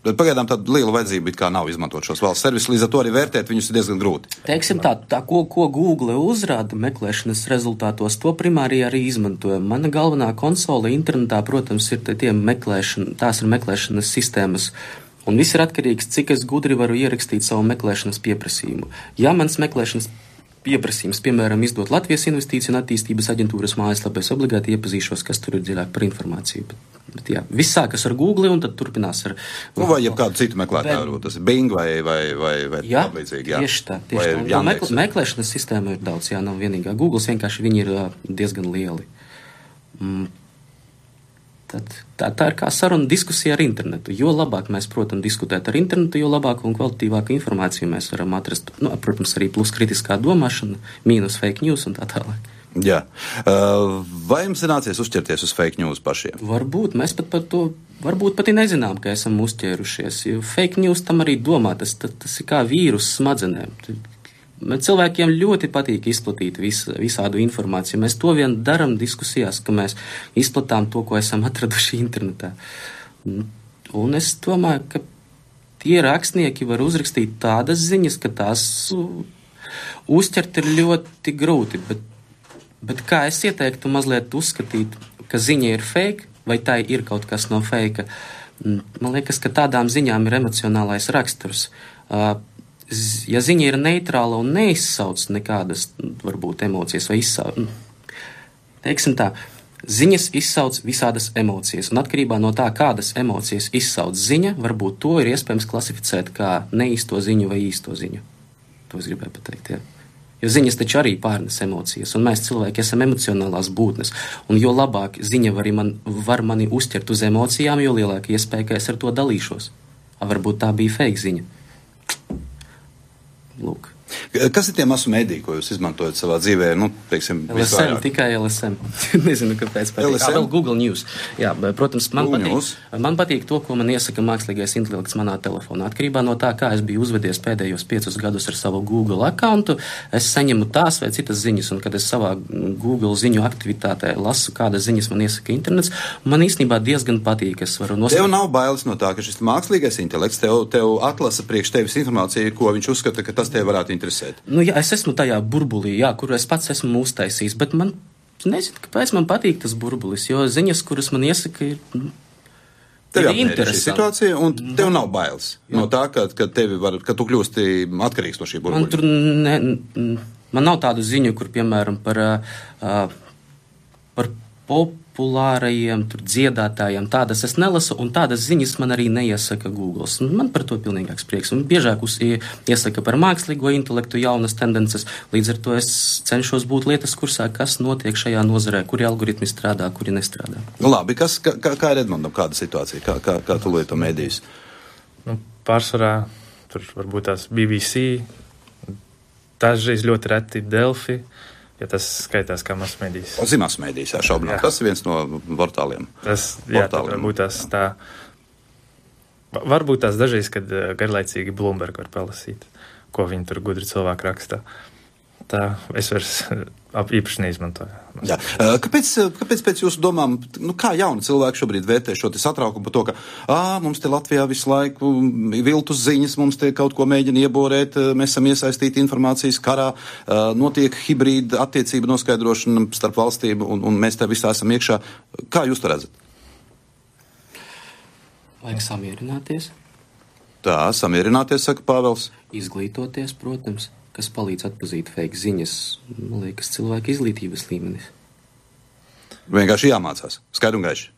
[SPEAKER 2] Bet pagaidām tāda liela vajadzība it kā nav izmantot šos valsts servisus, līdz ar to arī vērtēt viņus ir diezgan grūti.
[SPEAKER 4] Teiksim tā, ko Google uzrāda meklēšanas rezultātos, to primāri arī izmantojam. Mana galvenā konsole internetā, protams, ir tās ir meklēšanas sistēmas. Un viss ir atkarīgs, cik es gudri varu ierakstīt savu meklēšanas pieprasījumu. Ja mans meklēšanas pieprasījums, piemēram, izdot Latvijas Investīciju un attīstības aģentūras mājaslapā, es obligāti iepazīšos, kas tur ir dziļāk par informāciju. Bet jā, viss sākas ar Google un tad turpinās ar...
[SPEAKER 2] Vai jebkādu citu meklētāju, tas ir Bing vai
[SPEAKER 4] jā,
[SPEAKER 2] līdzīgi, jā.
[SPEAKER 4] Tieši tā. Meklēšanas sistēma ir daudz, jā, nav vienīgā. Google vienkārši viņi ir diezgan lieli. Tā ir kā saruna diskusija ar internetu. Jo labāk mēs, protams, diskutēt ar internetu, jo labāku un kvalitīvāku informāciju mēs varam atrast. Protams, arī plus kritiskā domāšana, mīnus fake news un tā tālāk.
[SPEAKER 2] Jā. Vai jums ir nācies uzķerties uz fake news pašiem?
[SPEAKER 4] Varbūt. Mēs pat par to varbūt pat nezinām, ka esam uzķērušies. Jo fake news tam arī domā. Tas ir kā vīrus smadzenēm. Cilvēkiem ļoti patīk izplatīt visādu informāciju. Mēs to vien daram diskusijās, ka mēs izplatām to, ko esam atraduši internetā. Un es domāju, ka tie rakstnieki var uzrakstīt tādas ziņas, ka tās uzķert ir ļoti grūti. Bet kā es ieteiktu mazliet uzskatīt, ka ziņa ir fake, vai tā ir kaut kas no fake? Man liekas, ka tādām ziņām ir emocionālais raksturs. Ja ziņa ir neitrāla un neizsauc nekādas, varbūt, emocijas vai izsauc, teiksim tā, ziņas izsauc visādas emocijas, un atkarībā no tā, kādas emocijas izsauc ziņa, varbūt to ir iespējams klasificēt kā neīsto ziņu vai īsto ziņu. To es gribēju pateikt, jā. Jo ziņas taču arī pārnes emocijas, un mēs cilvēki esam emocionālās būtnes, un jo labāk ziņa var mani uzķert uz emocijām, jo lielāka iespēja, ka es ar to dalīšos. Varbūt tā bija fake ziņa. Lūk.
[SPEAKER 2] Kas ir tie masu mediji, ko jūs izmantojat savā dzīvē? Teiksim,
[SPEAKER 4] LSM, tikai LSM. Nezinu, kāpēc patīk. Vēl Google News. Jā, protams, man patīk to, ko man iesaka mākslīgais intelekts manā telefonā. Atkarībā no tā, kā es biju uzvedies pēdējos 5 gadus ar savu Google accountu, es saņemu tās vai citas ziņas, un kad es savā Google ziņu aktivitātē lasu, kādas ziņas man iesaka internets, man īstenībā diezgan patīk. Es varu noskatīt.
[SPEAKER 2] Tev nav bailes no tā, ka šis mākslīgais intelekts tev atlasa priekš tevis informāciju, ko viņš uzskata, ka tas tev varētu interesēt.
[SPEAKER 4] Jā, es esmu tajā burbulī, jā, kuru es pats esmu uztaisījis, bet man nezinu, kāpēc man patīk tas burbulis, jo ziņas, kuras man iesaka, ir interesanti.
[SPEAKER 2] Šī situācija, un tev nav bailes no tā, ka tu kļūsti atkarīgs no šī burbuļa.
[SPEAKER 4] Man nav tādu ziņu, kur, piemēram, par populārajiem dziedātājiem, tādas es nelasu, un tādas ziņas man arī neiesaka Google. Man par to pilnīgāks prieks. Un biežāk iesaka par mākslīgo intelektu jaunas tendences, līdz ar to es cenšos būt lietas kursā, kas notiek šajā nozarē, kuri algoritmi strādā, kuri nestrādā.
[SPEAKER 2] Labi, kā ir Edmundam kāda situācija? Kā tu lieto medijas?
[SPEAKER 3] Pārsvarā tur varbūt tās BBC, dažreiz ļoti reti Delfi, ja tas skaitās kā masmedijas.
[SPEAKER 2] Masmedijas, jā, šaubināt. Tas ir viens no portāliem.
[SPEAKER 3] Varbūt tās dažreiz, kad garlaicīgi Bloomberg var palasīt, ko viņi tur gudri cilvēki rakstā. Tā es vairs īpaši neizmantoju.
[SPEAKER 2] Jā. Kāpēc pēc jūsu domām, kā jauni cilvēki šobrīd vērtē šo satraukumu par to, ka mums te Latvijā visu laiku viltus ziņas, mums te kaut ko mēģina ieborēt, mēs esam iesaistīti informācijas karā, notiek hibrīda attiecība noskaidrošana starp valstīm un mēs te visā esam iekšā. Kā jūs to redzat?
[SPEAKER 4] Vajag samierināties.
[SPEAKER 2] Tā, samierināties, saka Pāvels.
[SPEAKER 4] Izglītoties, protams. Kas palīdz atpazīt fake ziņas, man liekas, cilvēka izglītības līmenis.
[SPEAKER 2] Vienkārši jāmācās, skaidri un gaiši.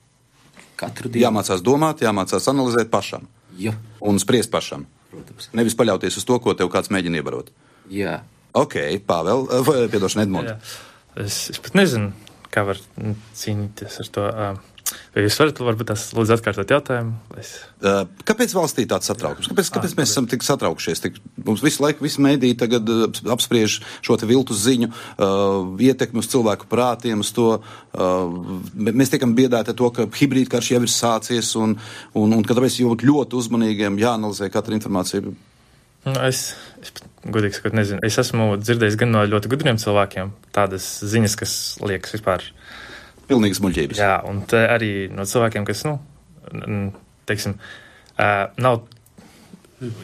[SPEAKER 4] Katru dienu.
[SPEAKER 2] Jāmācās domāt, jāmācās analizēt pašam.
[SPEAKER 4] Jā.
[SPEAKER 2] Un spriest pašam.
[SPEAKER 4] Protams.
[SPEAKER 2] Nevis paļauties uz to, ko tev kāds mēģina iebarot.
[SPEAKER 4] Jā.
[SPEAKER 2] Ok, Pāvēl, piedošana Edmunds.
[SPEAKER 3] Es pat nezinu, kā var cīnīties ar to. Vai jūs varat varbūt tās lūdzu atkārtot jautājumu?
[SPEAKER 2] Kāpēc valstī tāds satraukums? Kāpēc mēs esam tik satraukšies? Mums visu laiku, visi mēdīji tagad apspriež šo te viltus ziņu, ietekmi uz cilvēku prātiem, uz to. Mēs tiekam biedēti to, ka hibrīdkarš jau ir sācies un ka tāpēc ļoti uzmanīgiem jāanalizē katra informācija.
[SPEAKER 3] Es godīgi sakot, nezinu. Es esmu dzirdējis gan no ļoti gudriem cilvēkiem tādas ziņas, kas liekas vispār.
[SPEAKER 2] Pilnīgas muļķības.
[SPEAKER 3] Jā, un te arī no cilvēkiem, kas, teiksim, nav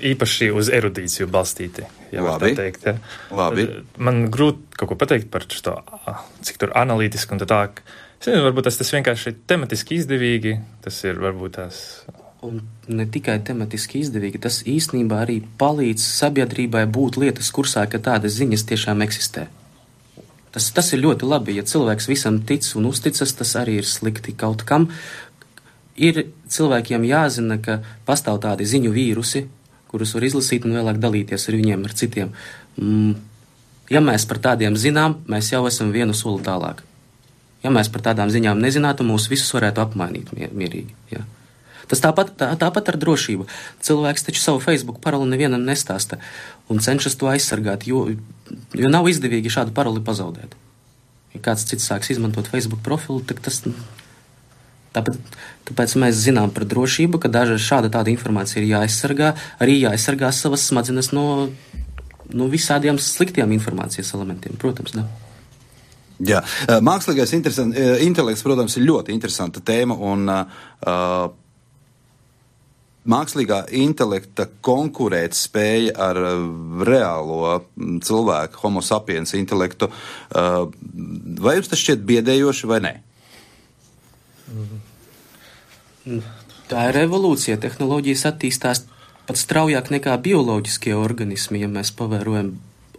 [SPEAKER 3] īpaši uz erudīciju balstīti. Ja var tā teikt, ja.
[SPEAKER 2] Labi.
[SPEAKER 3] Man grūti kaut ko pateikt par šo, cik tur analītiski un tā. Es nezinu, varbūt tas vienkārši tematiski izdevīgi. Tas ir varbūt tās.
[SPEAKER 4] Un ne tikai tematiski izdevīgi, tas īstenībā arī palīdz sabiedrībai būt lietas kursā, ka tādas ziņas tiešām eksistē. Tas ir ļoti labi, ja cilvēks visam tic un uzticas, tas arī ir slikti kaut kam. Ir cilvēkiem jāzina, ka pastāv tādi ziņu vīrusi, kurus var izlasīt un vēlāk dalīties ar viņiem, ar citiem. Ja mēs par tādiem zinām, mēs jau esam vienu soli tālāk. Ja mēs par tādām ziņām nezinātu, mūs visus varētu apmainīt mierīgi, jā. Tas tāpat ar drošību. Cilvēks taču savu Facebook paroli nevienam nestāsta un cenšas to aizsargāt, jo nav izdevīgi šādu paroli pazaudēt. Ja kāds cits sāks izmantot Facebook profilu, tad tas... Tāpēc mēs zinām par drošību, ka šāda tāda informācija ir jāaizsargā, arī jāaizsargā savas smadzenes no visādiem sliktiem informācijas elementiem, protams, ne?
[SPEAKER 2] Jā, mākslīgais intelekts, protams, ir ļoti interesanta tēma un mākslīgā intelekta konkurēt spēja ar reālo cilvēku, homo sapiens intelektu, vai jums tas šķiet biedējoši vai nē?
[SPEAKER 4] Tā ir evolūcija. Tehnoloģijas attīstās pat straujāk nekā bioloģiskie organismi, ja mēs pavērojam,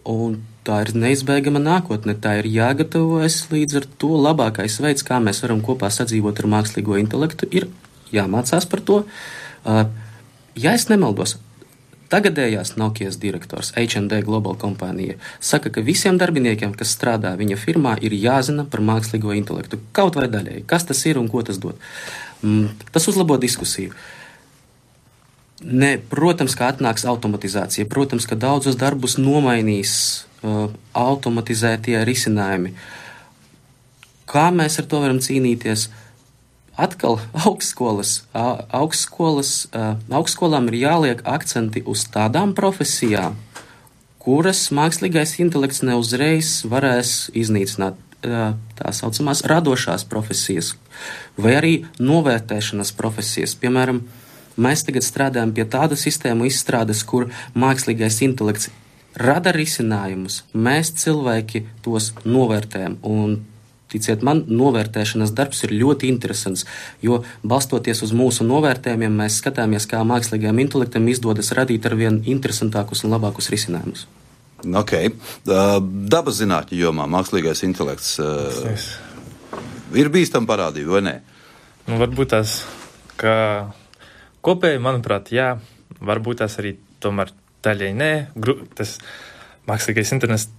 [SPEAKER 4] un tā ir neizbēgama nākotne. Tā ir jāgatavojas līdz ar to labākais veids, kā mēs varam kopā sadzīvot ar mākslīgo intelektu, ir jāmācās par to. Ja es nemaldos, tagadējās Nokijas direktors H&D Global kompānija saka, ka visiem darbiniekiem, kas strādā viņa firmā, ir jāzina par mākslīgo intelektu. Kaut vai daļēji. Kas tas ir un ko tas dod? Tas uzlabo diskusiju. Protams, ka atnāks automatizācija. Protams, ka daudzus darbus nomainīs automatizētie risinājumi. Kā mēs ar to varam cīnīties? Atkal augstskolām ir jāliek akcenti uz tādām profesijām, kuras mākslīgais intelekts neuzreiz varēs iznīcināt, tā saucamās radošās profesijas vai arī novērtēšanas profesijas. Piemēram, mēs tagad strādājam pie tādu sistēmu izstrādes, kur mākslīgais intelekts rada risinājumus, mēs cilvēki tos novērtējam un ticiet man, novērtēšanas darbs ir ļoti interesants, jo balstoties uz mūsu novērtējumiem, mēs skatāmies, kā mākslīgajam intelektam izdodas radīt arvien interesantākus un labākus risinājumus.
[SPEAKER 2] Ok. Dabas zinātņu jomā mākslīgais intelekts ir bīstama parādība, vai ne?
[SPEAKER 3] Varbūt tās, ka kopēji, manuprāt, jā, varbūt tās arī tomēr daļai nē. Tas mākslīgais intelekts,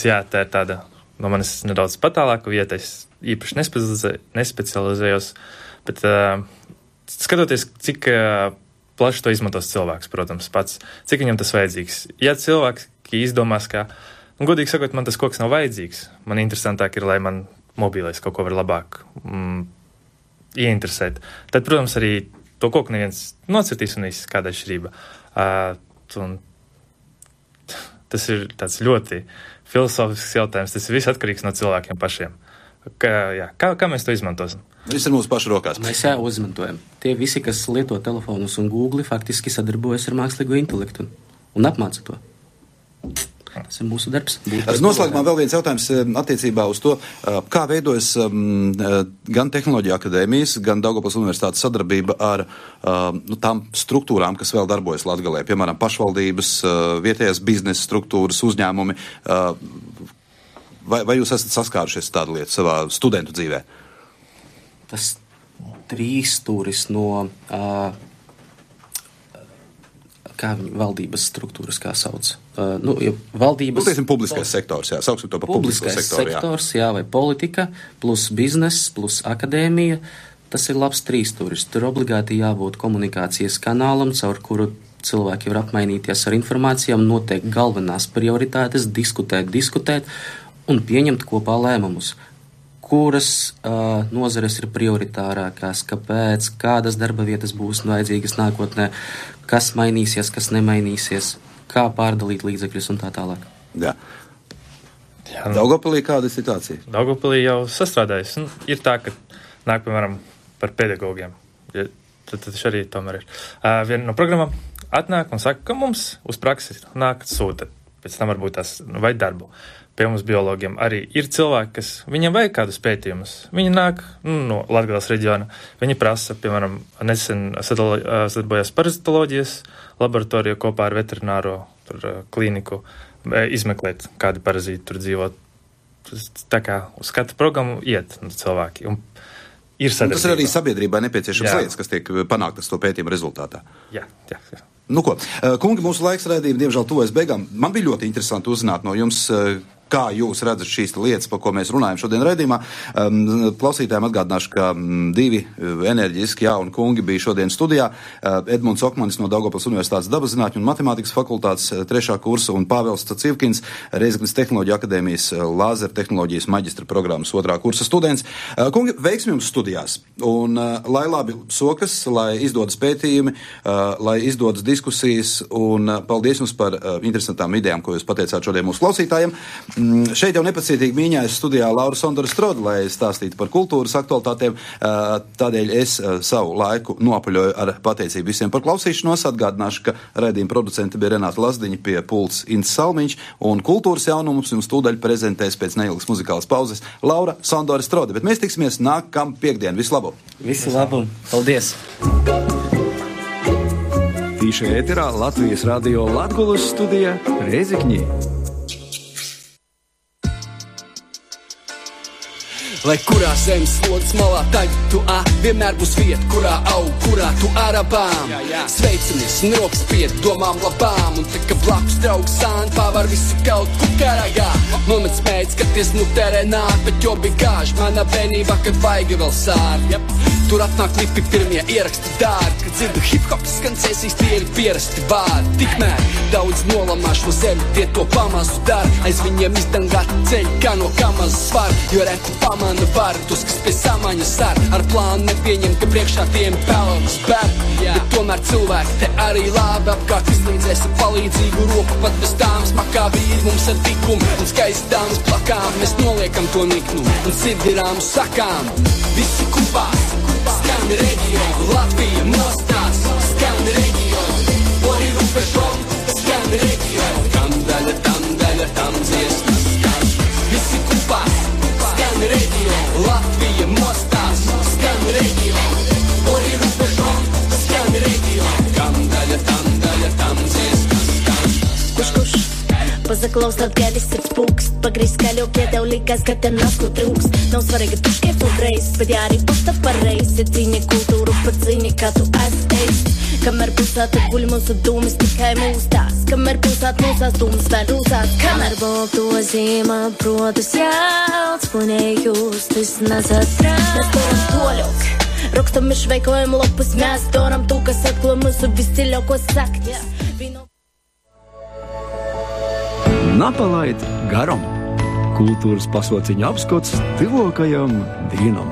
[SPEAKER 3] jā, tā ir tāda. No manis nedaudz patālāka vieta, es īpaši nespecializējos, bet skatoties, cik plaši to izmantos cilvēks, protams, pats, cik viņam tas vajadzīgs. Ja cilvēks izdomās, ka, godīgi sakot, man tas koks nav vajadzīgs, man interesantāk ir, lai man mobilais kaut ko var labāk ieinteresēt, tad, protams, arī to koku neviens nocirtīs un viss kāda atšķirība. Tas ir tāds ļoti filosofisks jautājums. Tas viss atkarīgs no cilvēkiem pašiem. Kā mēs to izmantosim?
[SPEAKER 2] Viss ir mūsu pašu rokās.
[SPEAKER 4] Mēs jau izmantojam. Tie visi, kas lieto telefonus un Google, faktiski sadarbojas ar mākslīgo intelektu un apmāca to. Tas ir mūsu darbs.
[SPEAKER 2] Noslēgumā vēl viens jautājums attiecībā uz to, kā veidojas gan Tehnoloģija akadēmijas, gan Daugavpils universitātes sadarbība ar tām struktūrām, kas vēl darbojas Latgalē, piemēram, pašvaldības, vietējās biznesa struktūras, uzņēmumi. Vai jūs esat saskārušies tādu lietu savā studentu dzīvē?
[SPEAKER 4] Tas trīsstūris no valdības struktūras, kā sauc. Valdības...
[SPEAKER 2] teiksim, publiskais sektors, jā, sauksim to par publisko sektoru, jā.
[SPEAKER 4] Sektors, jā, vai politika, plus bizness, plus akadēmija, tas ir labs trīsstūris. Tur obligāti jābūt komunikācijas kanālam, caur kuru cilvēki var apmainīties ar informācijām, noteikt galvenās prioritātes, diskutēt un pieņemt kopā lēmumus. kuras nozares ir prioritārākās, kāpēc, kādas darba vietas būs vajadzīgas nākotnē, kas mainīsies, kas nemainīsies, kā pārdalīt līdzekļus un tā tālāk.
[SPEAKER 2] Jā. Daugavpilī kāda ir situācija?
[SPEAKER 3] Daugavpilī jau sastrādājas. Ir tā, ka nāk, piemēram, par pedagogiem. Tad arī tomēr ir. Viena no programmām atnāk un saka, ka mums uz praksi nāk sūta. Pēc tam varbūt tās vai darbu. Pie mums biologiem arī ir cilvēki, kas viņiem vajag kādus pētījumus. Viņi nāk no Latgales reģiona. Viņi prasa, piemēram, nesen sadarbojās parazitoloģijas laboratoriju kopā ar veterināro klīniku izmeklēt, kādi parazīti tur dzīvo. Tā kā uz katru programmu iet cilvēki. Un ir sadarbība.
[SPEAKER 2] Tas ir arī sabiedrībai nepieciešams lietas, kas tiek panāktas to pētījumu rezultātā.
[SPEAKER 3] Jā.
[SPEAKER 2] Nu ko, kungi, mūsu laiks raidījuma diemžēl tuvojas beigām. Man bija ļoti interesanti uzzināt no jums, kā jūs redzat šīs lietas, par ko mēs runājam šodien raidījumā. Klausītājiem atgādināšu, ka divi enerģiski jauni kungi bija šodien studijā. Edmunds Okmanis no Daugavpils Universitātes dabaszinātņu un matemātikas fakultātes 3. kursa un Pāvels Civkins, Reizeknes Tehnoloģiju akadēmijas lāzeru tehnoloģijas maģistra programmas 2. kursa students. Kungi, veiksmi jums studijās. Un lai labi sokas, lai izdodas pētījumi, lai izdodas diskusijas un paldies jums par interesantām idejām, ko jūs pateicāt šodien mūsu klausītājiem. Šeit jau nepacietīgi mīņājas studijā Laura Sondora Stroda, lai stāstītu par kultūras aktualitātēm. Tādēļ es savu laiku nopaļoju ar pateicību visiem par klausīšanos. Atgādināšu, ka raidījuma producente bija Renāta Lazdiņa, pie pults Ints Salmiņš, un kultūras jaunumus jums tūdaļ prezentēs pēc neilgas muzikālas pauzes Laura Sondora Stroda. Bet mēs tiksimies nākam piekdien. Visu labu!
[SPEAKER 4] Visu labu! Paldies!
[SPEAKER 1] Tīša ēterā Latvijas radio Latgulas studija Reizekņī.
[SPEAKER 5] Lai kurā zemes slodzes malā tagad tu vienmēr būs vieta, kurā aug, kurā tu arabām. Sveicamies un rokas piet domām labām, un tā kā blakus draugs sāni pārvar visu kaut kukaragā. Nomets mēģis, kad ties terē nāk, bet jo bija gāži manā bērnībā, kad vajag vēl sāri. Tur atnāk klipi pirmie ieraksti dārgi, kad dzirdu hip-hop skancēsīs, tie ir pierasti vārdi. Tikmēr daudz nolamā šo zemi, tie to pamazu dara, aiz viņiem izdangāti ceļi, kā no kamazas var, jo reti pamana var tos, kas pie samaņas ar plānu nepieņem, ka priekšā tiem pelnas bēr. Bet tomēr cilvēki te arī labi apkārt izlīdzēs ar palīdzīgu roku, pat bez tāmas makā vīri mums ar tikumu un skaisti dāmas plakām. Mēs noliekam to niknumu un sirdirām sakām. Visi kupās, skan reģionu, Latvija mostās, skan reģionu, ori rupešom, skan reģionu, tam daļa, tam dziesmas skan. Visi kupās, skan reģionu, Latvija mostās, skan reģionu, ori rupešom, skan reģionu, tam daļa, tam dziesmas skan. Kurš? Pazaklausāt, ka viss ir spūks, pagrīz skaļok, ja tev likās, ka te nav ko trūks. Nav svarīgi, tu šķiet un reiz, bet jā arī posta pareiz, ja cīņi kultūru pat cīņi, kā tu esi. Kamēr pilsēta guļ mūsu dūmis, tikai mūstās, kamēr pilsēta mūsās dūmis vēl rūsās. Kamēr balto zīmā, protas jālts, punējus, tas nesatrās. Mēs toram toļok, rakstam izveikojumu lopus, mēs toram tu, kas atklo mūsu visciļākos saknes.
[SPEAKER 1] Napalaid garam! Kultūras pasauciņa apskats tuvākajam dienam!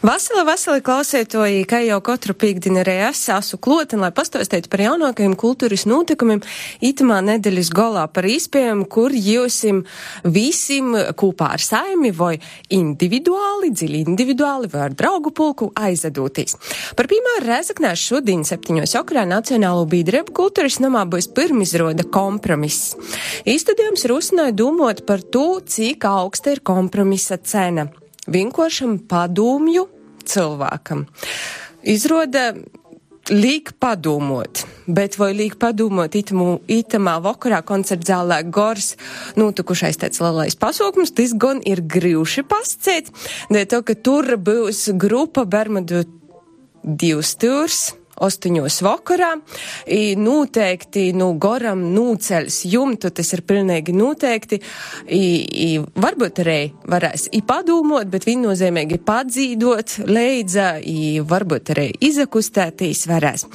[SPEAKER 6] Vasili klausētoji, kā jau katru pīkdienu arī es esmu klot, lai pastāstītu par jaunākajiem kultūras notikumiem itamā nedēļas golā par iespējām, kur jūsim visim kopā ar saimi vai dziļi individuāli vai ar draugu pulku aizadūtīs. Par piemēru Reizeknē šodien 7. okrā Nacionālo biedrību kultūras namā būs pirmizroda Kompromiss. Īstudējums rusināja domot par to, cik augsta ir kompromisa cena. Vienkāršam padomju cilvēkam. Izroda liek padomot, bet vai liek padomot itamā vakarā koncertzālē Gors notikušais tāds lielais pasaukums, tas gan ir grūši pasciet, dēļ to, ka tur būs grupa Bermudu 2 stūrs 8 vakarā, noteikti Goram nūceļs jumtu, tas ir pilnīgi noteikti, varbūt arī varēs padomot, bet viennozīmīgi padzīdot, leidza, varbūt arī izakustētīs varēs.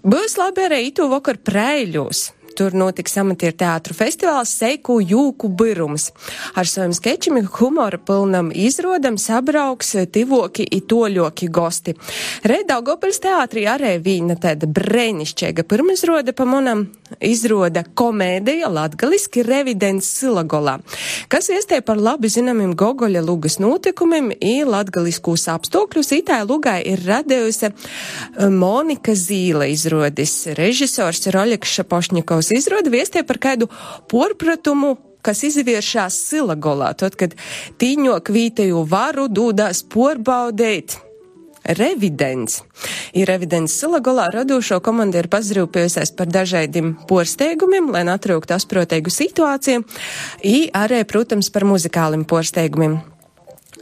[SPEAKER 6] Būs labi arī itu vakar Preiļos. tur notiks amatieru teātru festivāls Seiku jūku birums. Ar saviem skečiem humora pilnam izrodam sabrauks tivoki i toļoki gosti. Daugavpils teātrī arī vīna tāda brēnišķīga pirmizroda pa monam izroda komēdija latgaliski Revidents Silagolā, kas iestē par labi zināmiem Gogoļa lugas notikumiem i latgaliskūs apstākļus. Itai lugai ir radējusi Monika Zīle izrodis. Režisors Roļeks Šapošņikovs izroda viestie par kādu porpratumu, kas izvēršās Silagolā, tad, kad tīņok vīteju varu dūdās porbaudēt Revidents. Ir Revidents Silagolā radošo komanda ir pazrūpējusies par dažādiem porsteigumiem, lai atrūktu asproteigu situāciju, i arī, protams, par muzikālim porsteigumiem.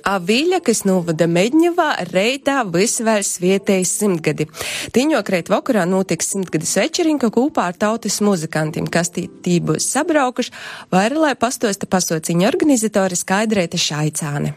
[SPEAKER 6] Avīļa, kas novada Medņevā, reitā visvēl svietējas 100 gadi. Tīņok reit vakarā notiks 100 večerinka kopā ar tautas muzikantiem, kas tī būs sabraukuši, vai arī, lai pastosta pasauciņa organizatori Skaidrēta Šaicāne.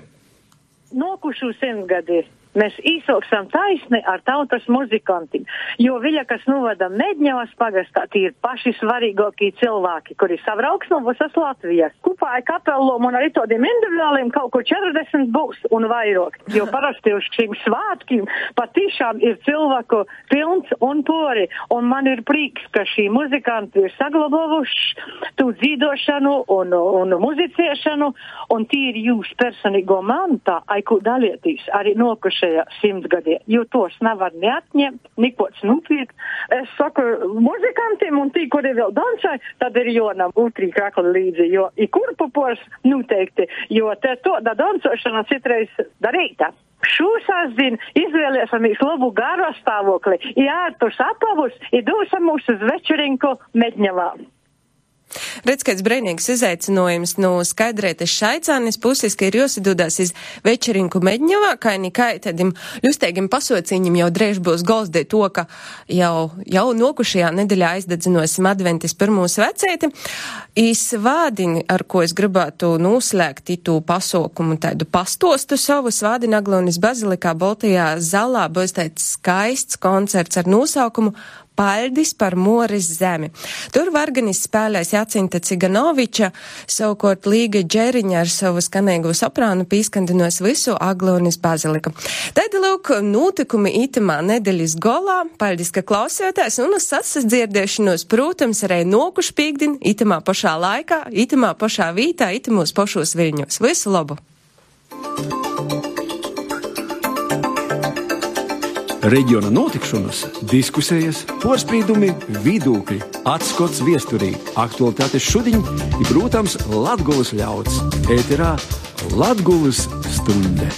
[SPEAKER 7] Nokušu 100 gadi. Mēs īsoksam taisni ar tautas muzikantiem, jo Viļa, kas novada Medņevas pagastā, tie ir paši svarīgākie cilvēki, kuri sabrauks no visas Latvijas. Kopā ar kapelom un arī tādiem individuāliem kaut ko 40 būs un vairāk, jo parasti uz šīm svātkiem patiešām ir cilvēku pilns un pori, un man ir prieks, ka šī muzikanti ir saglabāvuši tu dzīdošanu un muzicēšanu, un tie ir jūs personīgo mantā, aiku dalieties arī nokuši 100 gadiem, jo tos nevar neatņemt, nikots nupirkt. Es saku muzikantiem un tī, kuri vēl dansai, tad ir jonam utrī krakli līdzi, jo i kurpupors noteikti, jo te to da dansošana citreiz darīta. Šūsāsdien izvēlēsamies labu garo stāvokli, i ārtus apavus, i dūsam mūs uz večerinku Medņevā.
[SPEAKER 6] Redz, kāds brīnīgs izaicinājums no Skaidrētas Šaicānes puses, ka ir jāsadūdās iz večerinku Medņevā, kā nikai tādiem ļusteigiem pasauciņiem jau drēž būs golsdē to, ka jau nokušajā nedēļā aizdedzinosim adventis pirmos vecēti. Svādini, ar ko es gribētu noslēgt itu pasaukumu tādu pastostu savu, Svādini Aglonis Bazilikā Baltajā zalā būs tāds skaists koncerts ar nosaukumu Paļdis par Moris zemi. Tur varganis spēlēs Jacinta Ciganoviča, savukārt Līga Džeriņa ar savu skanīgo soprānu pīskandinos visu Aglonis Baziliku. Tad, lūk, notikumi itamā nedēļas golā. Paļdis, ka klausījāties, un uz sasadzirdēšanos, protams, arī nokuši pīkdin, itamā pašā laikā, itamā pašā vītā, itamos pašos Viļņos. Visu labu!
[SPEAKER 1] Reģiona notikšanas, diskusijas, porspīdumi, vidūkļi, atskots viesturī, aktualitātes šodiņ ir, protams, Latgulas ļauds. Ēterā Latgulas stunde.